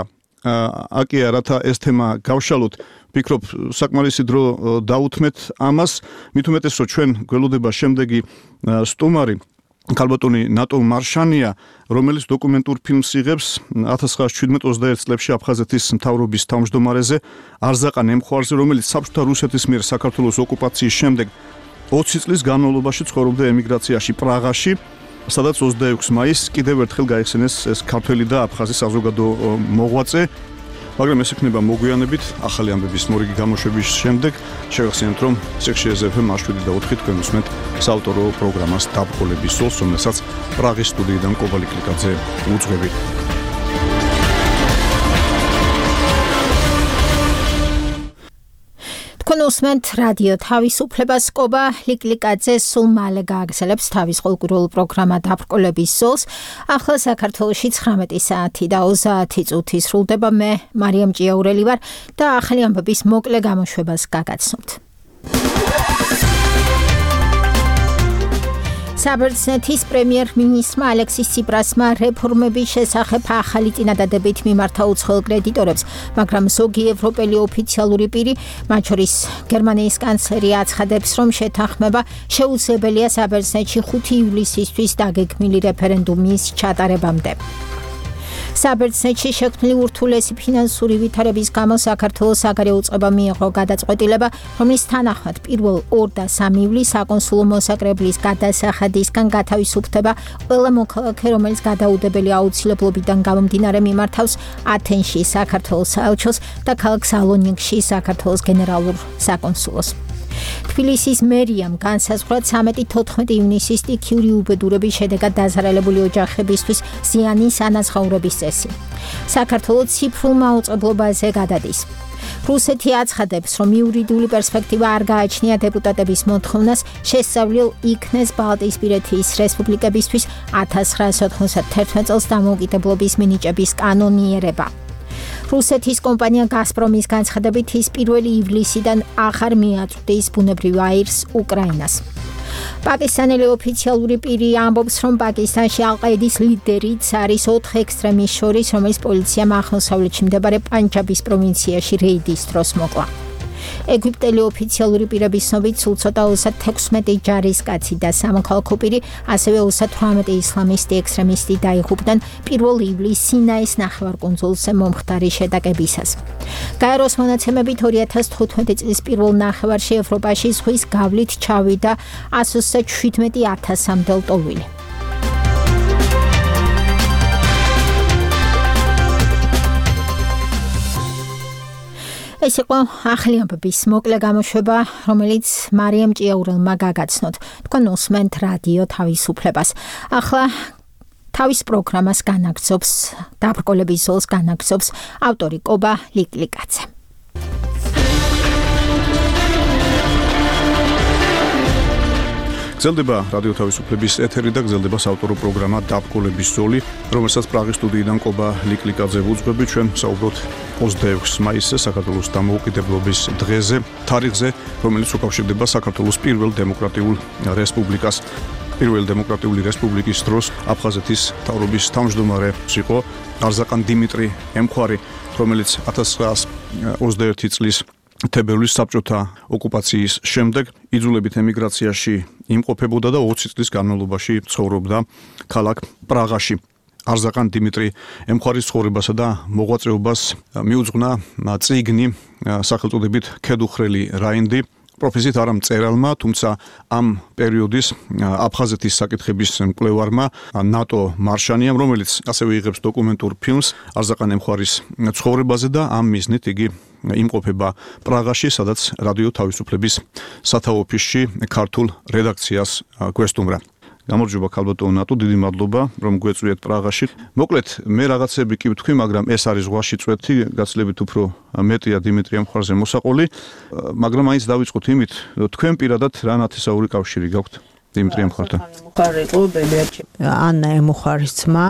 აკია, რათა ეს თემა გავშალოთ. ვფიქრობ, საკმარისი დრო დაუთმეთ ამას, მით უმეტეს რომ ჩვენ გველოდება შემდეგი სტუმარი ქალბატონი ნატო მარშანია, რომელიც დოკუმენტურ ფილმს იღებს ათას ცხრაასი შვიდმეტ ოცდაერთ წლებში აფხაზეთის მთავრობის თავმჯდომარეზე არზაყან ემხვარზე, რომელიც საბჭოთა რუსეთის მიერ საქართველოს ოკუპაციის შემდეგ ოცი წლის განმავლობაში ცხოვრობდა ემიგრაციაში პრაღაში, სადაც ოცდაექვსი მაისს კიდევ ერთხელ გაიხსენეს ეს ქართველი და აფხაზი საზოგადო მოღვაწე. მაგრამ ეს იქნება მოგვიანებით ახალი ამბების მორიგი გამოშვების შემდეგ. შევახსენებთ, რომ სიხში ეზეფ შვიდი და ოთხი თქვენ უსმენთ საავტორო პროგრამას დაბრკოლების სოლს, რომელსაც პრაღის სტუდიიდან კობა ლიკლიკაძე უძღვებით. თქვენ უსმენთ რადიო თავისუფლებას, კობა ლიკლიკაძე სულ მალე გააგრძელებს თავის ყოველკვირეულ პროგრამა დაბრკოლების სოლს. ახლა საქართველოში ცხრამეტი საათი და ოცდაათი წუთი სრულდება. მე მარიამ ჭიაურელი ვარ და ახალი ამბების მოკლე გამოშვებას გაგაცნობთ. საბერძნეთის პრემიერ-მინისტრმა ალექსის ციპრასმა რეფორმების შესახებ ახალი წინადადებით მიმართა უცხოელ კრედიტორებს, მაგრამ ზოგი ევროპელი ოფიციალური პირი, მათ შორის გერმანიის კანცლერი აცხადებს, რომ შეთანხმება შეუძლებელია საბერძნეთში ხუთი ივლისისთვის დაგეგმილი რეფერენდუმის ჩატარებამდე. საბერძნეთში შექმნილი ურთულესი ფინანსური ვითარების გამო საქართველოს საგარეო უწყება მიიღო გადაწყვეტილება, რომლის თანახმად პირველ ორ და სამი ივლისს საკონსულო მოსაკრებლის გადასახადისგან გათავისუფლდება ყველა მოქალაქე, რომელიც გადაუდებელი აუცილებლობიდან გამომდინარე მიმართავს ათენში საქართველოს საელჩოს და ქალაქ სალონიკში საქართველოს გენერალურ საკონსულოს. თბილისის მერიამ განსაზღვრა ცამეტი თოთხმეტი ივნისის სტიქიური უბედურების შედეგად დაზარალებული ოჯახებისთვის ზიანის ანაზღაურების წესი. საქართველოს ციფრულ მაუწყებლობაზე გადადის. რუსეთი აცხადებს, რომ იურიდიული პერსპექტივა არ გააჩნია დეპუტატების მოთხოვნას შესწავლილ იქნეს ბალტიისპირეთის რესპუბლიკებისთვის ათას ცხრაასი ოთხმოცდათერთმეტ წელს დამოუკიდებლობის მინიჭების კანონიერება. რუსეთის კომპანია გაზპრომის განცხადებით ის პირველი ივლისიდან აღარ მიაწვდის ბუნებრივ აირს უკრაინას. პაკისტანელი ოფიციალური პირი ამბობს, რომ პაკისტანში ალ-ყაიდის ლიდერიც არის ოთხ ექსტრემისტს შორის, რომელიც პოლიციამ აღმოსავლეთში მდებარე პანჯაბის პროვინციაში რეიდის დროს მოკლა. ეგვიპტელი ოფიციალური პირების ცნობით სულ ცოტა ოცდათექვსმეტი ჯარისკაცი და სამოქალაქო პირი, ასევე ოცდათვრამეტი ისლამისტი ექსტრემისტი დაიღუპნენ პირველ ივლისს სინაის ნახევარკუნძულზე მომხდარი შეტაკებისას. გაეროს მონაცემებით ორი ათას თხუთმეტი წლის პირველ ნახევარში ევროპაში ზღვის გავლით ჩავიდა ასი ოცდა შვიდმეტი ათასამდე ლტოლვილი. ეს იყო ახალი ამბების მოკლე გამოშვება, რომელიც მარიამ ჭიაურელმა გაგაცნოთ. თქვენ უსმენთ რადიო თავისუფლებას. ახლა თავის პროგრამას განაგრძობს, დაბრკოლების სოლს განაგრძობს ავტორი კობა ლიკლიკაძე. გრძელდება რადიო თავისუფლების ეთერი და გრძელდება საავტორო პროგრამა დაბრკოლების ზოლი, რომელსაც პრაღის სტუდიიდან კობა ლიკლიკაძე ვუძღვებით. ჩვენ საუბრობთ ოცდაექვსი მაისზე, საქართველოს დამოუკიდებლობის დღეზე, თარიღზე, რომელიც უკავშირდება საქართველოს პირველ დემოკრატიულ რესპუბლიკას. პირველი დემოკრატიული რესპუბლიკის დროს აფხაზეთის მთავრობის თავმჯდომარე იყო არზაყან დიმიტრი ემხვარი, რომელიც ათას ცხრაასი ოცდაერთი წლის თებერვლის საბჭოთა ოკუპაციის შემდეგ იძულებით ემიგრაციაში იმყოფებოდა და ოცი წლის განმავლობაში ცხოვრობდა ქალაქ პრაღაში. არზაყან დიმიტრი ემხვარის ცხოვრებასა და მოღვაწეობას მიუძღვნა წიგნი სახელწოდებით ქედუხრელი რაინდი, პროფესიით არა მწერალმა, თუმცა ამ პერიოდის აფხაზეთის საკითხების მკვლევარმა ნატო მარშანიამ, რომელიც ასევე იღებს დოკუმენტურ ფილმს არზაყან ემხვარის ცხოვრებაზე და ამ მიზნით იგი იმყოფება პრაღაში, სადაც რადიო თავისუფლების სათავო ოფისში ქართულ რედაქციას გვესტუმრა. გამარჯობა ქალბატონო ნატო, დიდი მადლობა რომ გვეწვიეთ პრაღაში. მოკლედ მე რაღაცები კი ვთქვი, მაგრამ ეს არის ზღვაში წვეთი, გაცილებით უფრო მეტია დიმიტრი ემხვარზე მოსაყოლი, მაგრამ მაინც დავიწყოთ იმით, თქვენ პირადად რა ნათესაური კავშირი გაქვთ დიმიტრი ემხვართან? ემხვარი იყო ბებიაჩი, ანა ემხვარის ძმა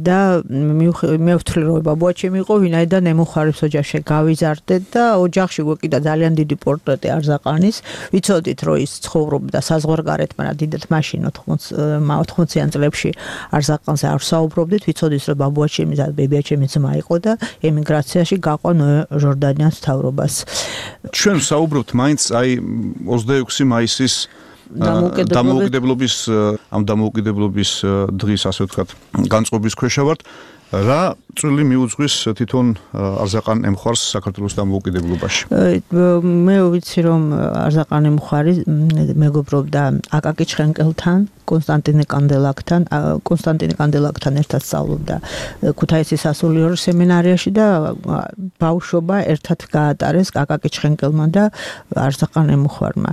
და მე ვთვლი რომ ბაბუაჩემი იყო, ვინაიდან ემხვარის ოჯახში გავიზარდე და ოჯახში გვეკიდა ძალიან დიდი პორტრეტი არზაყანის. ვიცოდით რომ ის ცხოვრობდა საზღვარგარეთ, მაგრამ დიდად მაშინ ოთხმოციან წლებში არზაყანზე არ საუბრობდით. ვიცოდით რომ ბაბუაჩემი და ბებიაჩემი ძმა იყო და ემიგრაციაში გაყვა ჟორდანიას მთავრობას. ჩვენ საუბრობთ მაინც აი ოცდაექვსი მაისის დამოუკიდებლობის ამ დამოუკიდებლობის დღის ასე ვთქვათ განწყობის ქვეშ ვართ. რა წვლილი მიუძღვის თვითონ არზაყან ემხარს საქართველოს დამოუკიდებლობაში? მე ვიცი რომ არზაყან ემხარი მეგობრობდა აკაკი ჩხენკელთან, კონსტანტინე კანდელაკთან, კონსტანტინე კანდელაკთან ერთად სწავლობდა ქუთაისის სასულიერო სემინარიაში და ბავშვობა ერთად გაატარეს აკაკი ჩხენკელმა და არზაყან ემხარმა.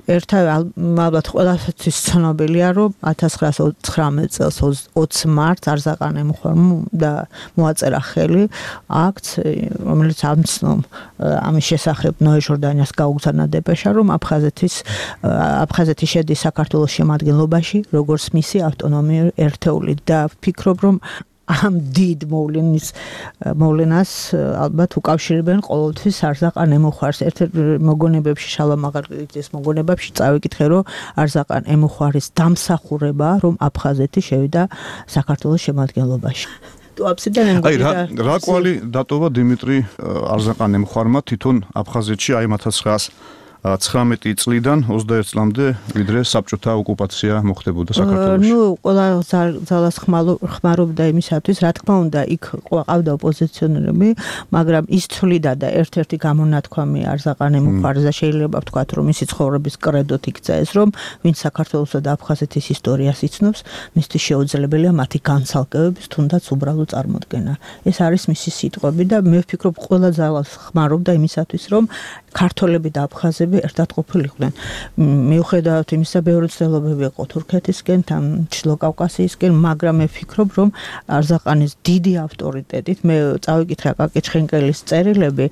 ერთად ალბათ ყველასთვის ცნობილია რომ ათას ცხრაას ოცდათხმეტ წელს ოცი მარტს არზაყან ემხარმა და მოაწერა ხელი აქტს, რომელიც ამცნომ ამის შესახებ ნოე ჟორდანიას გაუგზავნა დეპეშა, რომ აფხაზეთის აფხაზეთი შედის საქართველოს შემადგენლობაში, როგორც მისი ავტონომიური ერთეული და ვფიქრობ, რომ ამ დიდ მოვლენის მოვლენას ალბათ უკავშირებენ ყოველთვის არზაყან ემუხარს. ერთ-ერთ მოგონებებში შალვა მაღალაძის მოგონებებში წავიკითხე, რომ არზაყან ემუხარის დამსახურება, რომ აფხაზეთი შევიდა საქართველოს შემადგენლობაში. აი რა რა კვალი დატოვა დიმიტრი არზაყან ემხარმა თვითონ აფხაზეთში აი ათას ცხრაას ცხრამეტი წლიდან ოცდაერთ წლამდე ვიდრე საბჭოთა ოკუპაცია მოხდებოდა საქართველოში. ნუ ყველა ძალას ხმარობდა იმისათვის, რა თქმა უნდა, იქ ყავდა ოპოზიციონერები, მაგრამ ის ცვლიდა და ერთ-ერთი გამონათქვამი არზაყან ემხარზე შეიძლება ვთქვათ, რომ მისი ცხოვრების კრედოთ იქცა ეს, რომ ვინც საქართველოსა და აფხაზეთის ისტორიას იცნობს, მისთვის შეუძლებელია მათი განცალკევების თუნდაც უბრალო წარმოდგენა. ეს არის მისი სიტყვები და მე ვფიქრობ, ყველა ძალას ხმარობდა იმისათვის, რომ ქართველები და აფხაზები ერთად ყოფილიყვნენ. მიუხედავად იმისა, ბევრი ცდილობები იყო თურქეთისკენ, თან ჩრდილო კავკასიისკენ, მაგრამ მე ვფიქრობ, რომ არზაყანის დიდი ავტორიტეტით მე წავიკითხე აკაკი ჩხენკელის წერილები,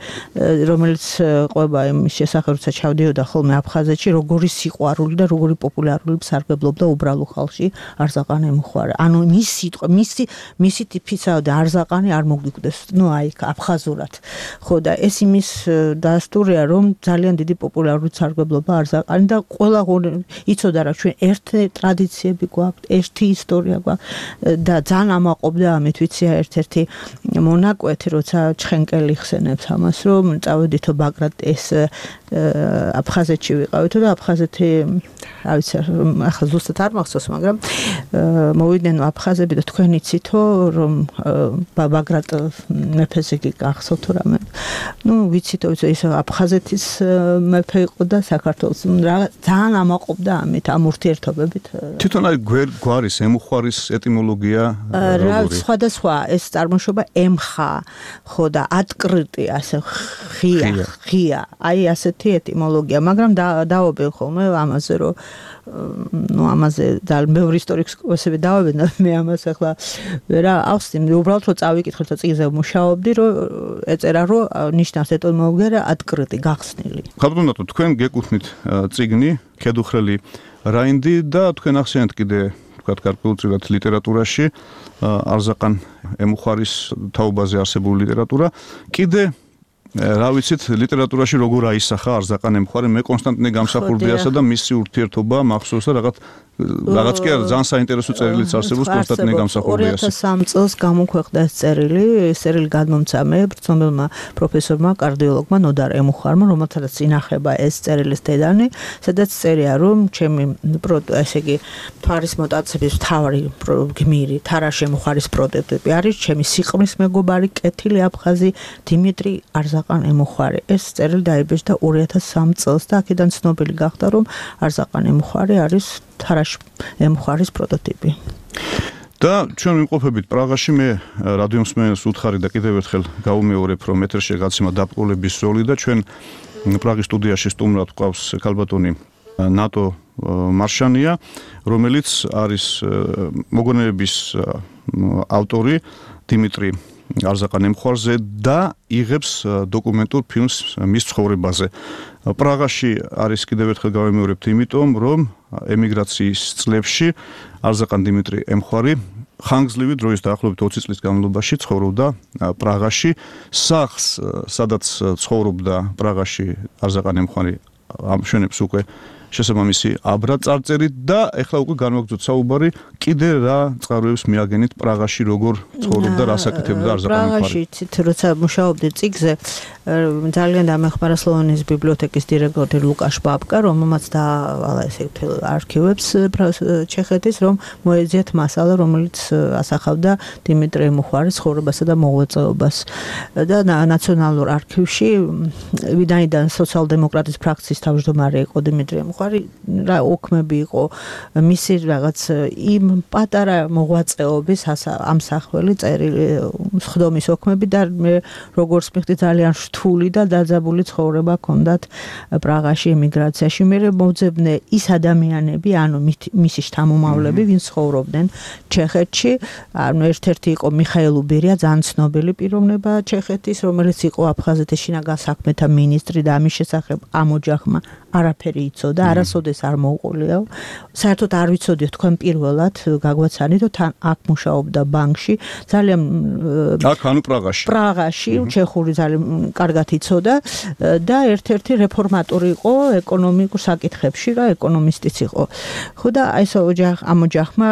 რომელიც ყვება იმის შესახებ, როცა ჩავდიოდა ხოლმე აფხაზეთში, როგორი სიყვარული და როგორი პოპულარული სარგებლობდა უბრალო ხალხში არზაყან ემხარი. ანუ მის სიტყვა, მისი მისი ტიპისა და არზაყანი არ მოგვიკვდეს, ნუ აი აფხაზურად. ხო და ეს იმის დასტურია, რომ ძალიან დიდი პოპულარული სარგებლობა არზაყანი და ყველა იცოდა რა ჩვენ ერთი ტრადიციები გვაქვს, ერთი ისტორია გვაქვს და ძალიან ამაყობდა ამით ვიცია ერთ-ერთი მონაკვეთი, როცა ჩხენკელი ხსენებს ამას, რომ წავედითო ბაგრატ ეს აფხაზეთში ვიყავითო და აფხაზეთი რა ვიცი ახლა ზუსტად არ მახსოვს, მაგრამ მოვიდნენ აფხაზები და თქვენ იცითო რომ ბაგრატ მეფეს იგი გახსოვთო რამე. ნუ ვიცითო ის აფხაზეთის მეფე იყო და საქართველოს ძალიან ამაყობდა ამით ამ ურთიერთობებით. თვითონ აი გვარის ემუხარის ეტიმოლოგია რა სხვადასხვა ეს წარმოშობა ემხა ხო და ატკრიტი ასე ხია ხია აი ასეთი ეტიმოლოგია, მაგრამ დავობენ ხოლმე ამაზე რომ ну ამაზე ძალიან ბევრი ისტორიკოსები დავებენ და მე ამას ახლა ვერა ავსწრებ, უბრალოდ რომ წავიკითხოთ და წიგნზე მუშაობდი, რომ ეწერა რომ ნიშნავს ეტიმოლოგია ატკრიტი გახსნილი. ხალხო, თქვენ გეკუთვნით წიგნი ქედუხრელი რაინდი და თქვენ ახსენეთ კიდე თქვათ გარკვეულწილად ლიტერატურაში არზაყან ემუხარის თაობაზე არსებული ლიტერატურა. კიდე რა ვიცით ლიტერატურაში როგორ აისახა არზაყან ემხარი, მე კონსტანტინე გამსახურდიასა და მისი ურთიერთობა მახსოვს და რაღაც რაღაც კი არა ძალიან საინტერესო წერილიც არსებობს კონსტანტინე გამსახურდიას. ორი ათას სამი წელს გამოქვეყნდა ეს წერილი, ეს წერილი გადმომცა მე ბრძნობელმა პროფესორმა კარდიოლოგმა ნოდარ ემუხარმა, რომელთაც ინახება ეს წერილის დედანი, სადაც წერია რომ ჩემი ესე იგი თვარის მოტაცების მთავარი გმირი თარაშ ემუხარის პროტოტიპი არის ჩემი სიყმრის მეგობარი კეთილი აფხაზი დიმიტრი არზაყან ემუხარი. ეს წერილი დაიბეჭდა ორი ათას სამი წელს და აქედან ცნობილი გახდა რომ არზაყან ემუხარი არის თარაშ ემუხარის პროტოტიპი. და ჩვენ ვიმყოფებით პრაღაში, მე რადიო მსმენელს უთხარი და კიდევ ერთხელ გავუმეორებ, რომ ეთერში გაცემა დაპყრობების ზოლი და ჩვენ პრაღის სტუდიაში სტუმრად გვყავს ქალბატონი ნატო მარშანია, რომელიც არის მოგონებების ავტორი დიმიტრი არზაყან ემხარზე და იღებს დოკუმენტურ ფილმს მის ცხოვრებაზე. პრაღაში არის კიდევ ერთხელ გავიმეორებთ, იმიტომ რომ ემიგრაციის წლებში არზაყან დიმიტრი ემხარი ხანგრძლივი დროის დაახლოებით ოცი წლის განმავლობაში ცხოვრობდა პრაღაში. სახლს, სადაც ცხოვრობდა პრაღაში არზაყან ემხარი ამშვენებს უკვე შესაბამისი აბრა წარწერით და ეხლა უკვე განვაგრძოთ საუბარი კიდე რა წყაროებს მიაგენით პრაღაში როგორ ცხოვრობდა რა საკეთებდა არზაყანი მხარი. პრაღაში ცით როცა მუშაობდი წიგზე ძალიან დამეხმარა სლოვენის ბიბლიოთეკის დირექტორი ლუკაშ ბაბკა, რომელმაც დაავალა ესე მთელ არქივებს ჩეხეთის, რომ მოეძიათ მასალა, რომელიც ასახავდა დიმიტრი მუხარის ცხოვრებასა და მოღვაწეობას. და ნაციონალურ არქივში ვინაიდან სოციალ-დემოკრატის ფრაქციის თავმჯდომარე იყო დიმიტრი მუხარი, რა ოქმები იყო მისი რაღაც იმ პატარა მოღვაწეობის ამსახველი წერილი სხდომის ოქმები და მე როგორც მიხდი ძალიან რთული და დაძაბული ცხოვრება ჰქონდათ პრაღაში ემიგრაციაში. მე მოძებნე ის ადამიანები, ანუ მისი შთამომავლები, ვინც ცხოვრობდნენ ჩეხეთში. ანუ ერთ-ერთი იყო მიხაილ უბირია, ძალიან ცნობილი პიროვნება ჩეხეთის, რომელიც იყო აფხაზეთის შინაგან საქმეთა მინისტრი და ამის შესახებ ამ ოჯახმა არაფერი იცოდა, არასოდეს არ მოუყოლიაო. საერთოდ არ ვიცოდიო თქვენ პირველად გაგვაცანით, თან აქ მუშაობდა ბანკში, ძალიან აქ ანუ პრაღაში. პრაღაში, ჩეხური ძალიან კარგად იცოდა და ერთ-ერთი რეფორმატორი იყო ეკონომიკურ საკითხებში, რა ეკონომისტიც იყო. ხო და აი ეს ოჯახ ამ ოჯახმა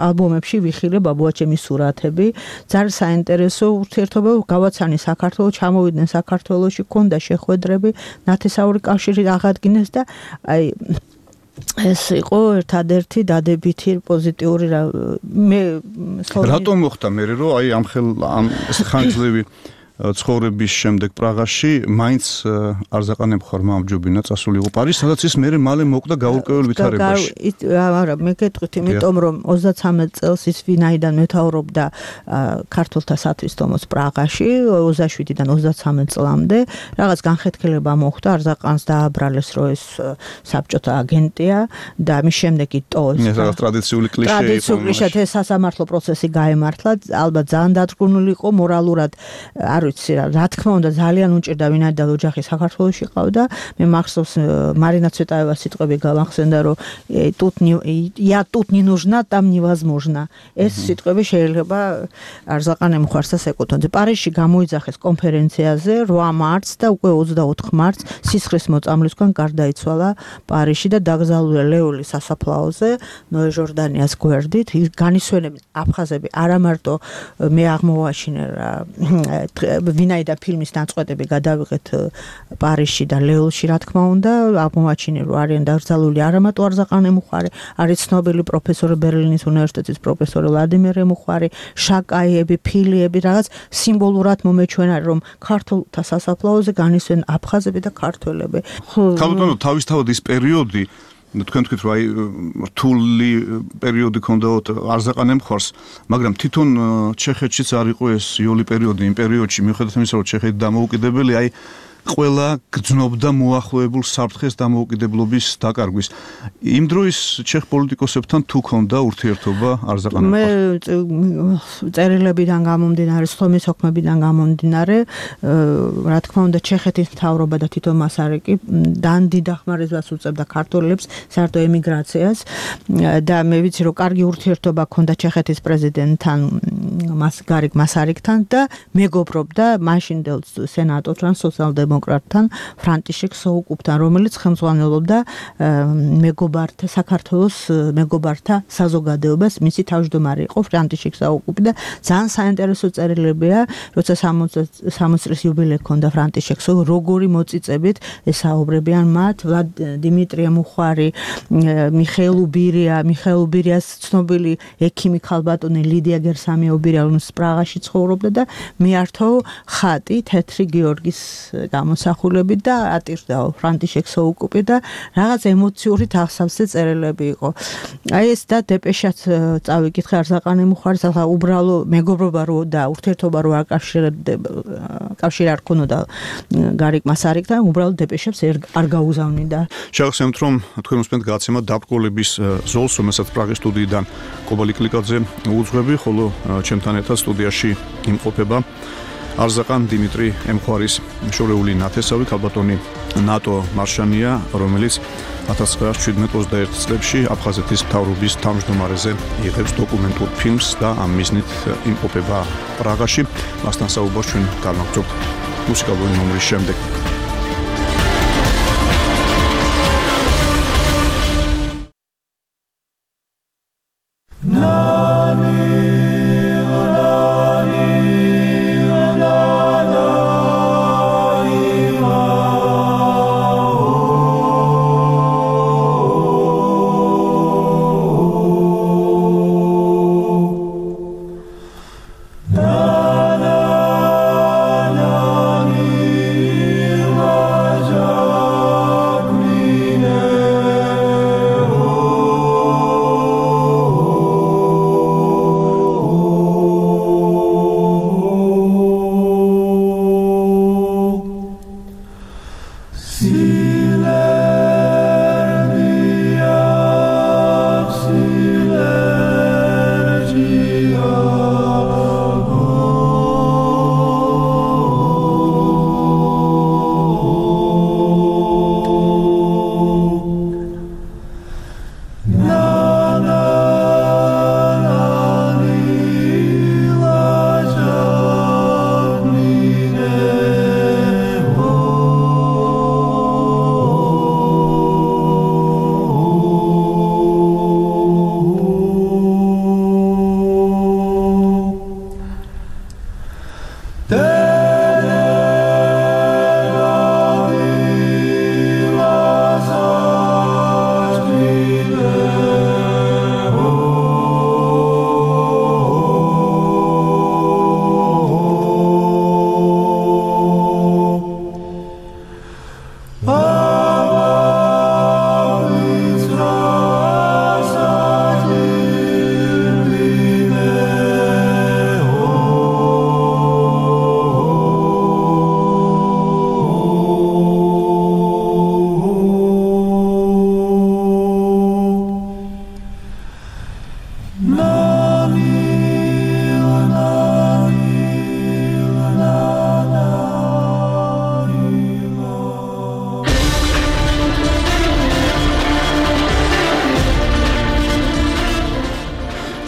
ალბომებში ვიხილე ბაბუაჩემის სურათები, ძალიან საინტერესო ურთიერთობა გავაცანი საქართველოს, ჩამოვიდნენ საქართველოში, ქონდა შეხვედრები, ნათესაური კავშირი აღადგინეს და აი ეს იყო ერთადერთი დადებითი პოზიტიური მე რატომ მოხდა მე რომ აი ამ ხელ ამ ხანძლივი ცხოვრების შემდეგ პრაღაში მაინც არზაყანე მხარმა ამჯობინა წასულიყო პარიზში, სადაც ის მერე მალე მოკვდა გაურკვეველ ვითარებაში. არა, მე გეტყვით, იმიტომ რომ ოცდათვრამეტ წელს ის ვინაიდან მეთაურობდა ქართულთა სათვისტომოს პრაღაში, ოცდაშვიდიდან ოცდათვრამეტ წლამდე, რაღაც განხეთქილება მოხდა, არზაყანს დააბრალეს, რომ ეს საბჭოთა აგენტია და ამის შემდეგ იტოვეს. ეს რაღაც ტრადიციული კლიშე იყო. ტრადიციული კლიშე სასამართლო პროცესი გაემართლა, ალბათ ძალიან დადგმული იყო მორალურად არ ვიცი რა, რა თქმა უნდა ძალიან უჭირდა ვინაიდან ოჯახი საქართველოში ყავდა. მე მახსოვს მარინა ცვეტაევას სიტყვები გამახსენდა, რომ тут я тут не нужна, там невозможно. ეს სიტყვები შეიძლება არზაყანე მხარსაც ეკუთვნოდა. პარიზში გამოიძახეს კონფერენციაზე რვა მარტს და უკვე ოცდაოთხ მარტს სისხლის მოწამვლისგან გარდაიცვალა პარიზში და დაკრძალულია ლეოლის სასაფლაოზე, ნოე ჟორდანიას გვერდით. ის განისვენებენ აფხაზები არა მარტო მე აღმოვაჩინე რა ვინაიდან ფილმის ნაწყვეტები გადავიღეთ პარიზში და ლეოლში, რა თქმა უნდა, აღმოვაჩინე რომ არიან დაკრძალული არა მარტო არზაყანე მუხარი, არის ცნობილი პროფესორი ბერლინის უნივერსიტეტის პროფესორი ვლადიმერ მუხარი, შაკაიები, ფილიები, რაღაც სიმბოლურად მომეჩვენა რომ ქართულთა სასაფლაოზე განისვენ აფხაზები და ქართველები. ქალბატონო, თავისთავად ის პერიოდი თქვენ თქვით რომ აი რთული პერიოდი ქონდათ არზაყანე მხარს, მაგრამ თვითონ ჩეხეთშიც არ იყო ეს იოლი პერიოდი იმ პერიოდში, მიუხედავად იმისა, რომ ჩეხეთი დამოუკიდებელი, აი ყველა გძნობდა მოახლოებულ საფრთხეს დამოუკიდებლობის დაკარგვის. იმ დროის ჩეხ პოლიტიკოსებთან თუ ქონდა ურთიერთობა არზაყანე მხარს? მე წერილებიდან გამომდინარე, სხდომის ოქმებიდან გამომდინარე, რა თქმა უნდა, ჩეხეთის მთავრობა და თვითონ მასარიკი დანდი დახმარებას უწევდა ქართველებს საერთო ემიგრაციას და მე ვიცი, რომ კარგი ურთიერთობა ქონდა ჩეხეთის პრეზიდენტთან, მას გარიგ მასარიკთან და მეგობრობდა მაშინდელ სენატორთან, სოციალ-დემოკრატთან დემოკრატთან ფრანტიშეკ სოუკუპთან, რომელიც ხელმძღვანელობდა მეგობართა საქართველოს მეგობართა საზოგადოებას, მისი თავმჯდომარე იყო ფრანტიშეკ სოუკუპი და ძალიან საინტერესო წერილებია, როცა სამოცდაათი წლის იუბილე ჰქონდა ფრანტიშეკ სოუკუპს, როგორი მოწიწებით ესაუბრებიან მათ, დიმიტრი მუხარი, მიხეილ უბირია, მიხეილ უბირიას ცნობილი ექიმი ქალბატონი ლიდია გერსამიობირია, რომელიც პრაღაში ცხოვრობდა და მიართო ხატი თეთრი გიორგის გამოსახულებით და ატირდაო ფრანტიშეკ სოუკუპი და რაღაც ემოციური თავსავსე წერილები იყო. აი ეს და დეპეშაც წავიკითხე არზაყანე მუხარის, ახლა უბრალო მეგობრობა რო და ურთიერთობა რო აკავშირებდა, კავშირი არ ქონოდა გარიგ მასარიკთან, უბრალო დეპეშებს არ გაუზავნიდა. შევახსენებთ, რომ თქვენ მოსმენთ გადაცემა დაბრკოლების ზოლს, რომელსაც პრაღის სტუდიიდან კობალი კლიკაძე უძღვები, ხოლო ჩემთან ერთად სტუდიაში იმყოფება არზაყან დიმიტრი ემხარის შორეული ნათესავი ქალბატონი ნატო მარშანია, რომელიც ათას ცხრაასი შვიდმეტ ოცდაერთი წლებში აფხაზეთის მთავრობის თავმჯდომარეზე იღებს დოკუმენტურ ფილმს და ამ მიზნით იმყოფება პრაღაში. მასთან საუბარს ჩვენ განვაგრძობთ მუსიკალური ნომრის შემდეგ.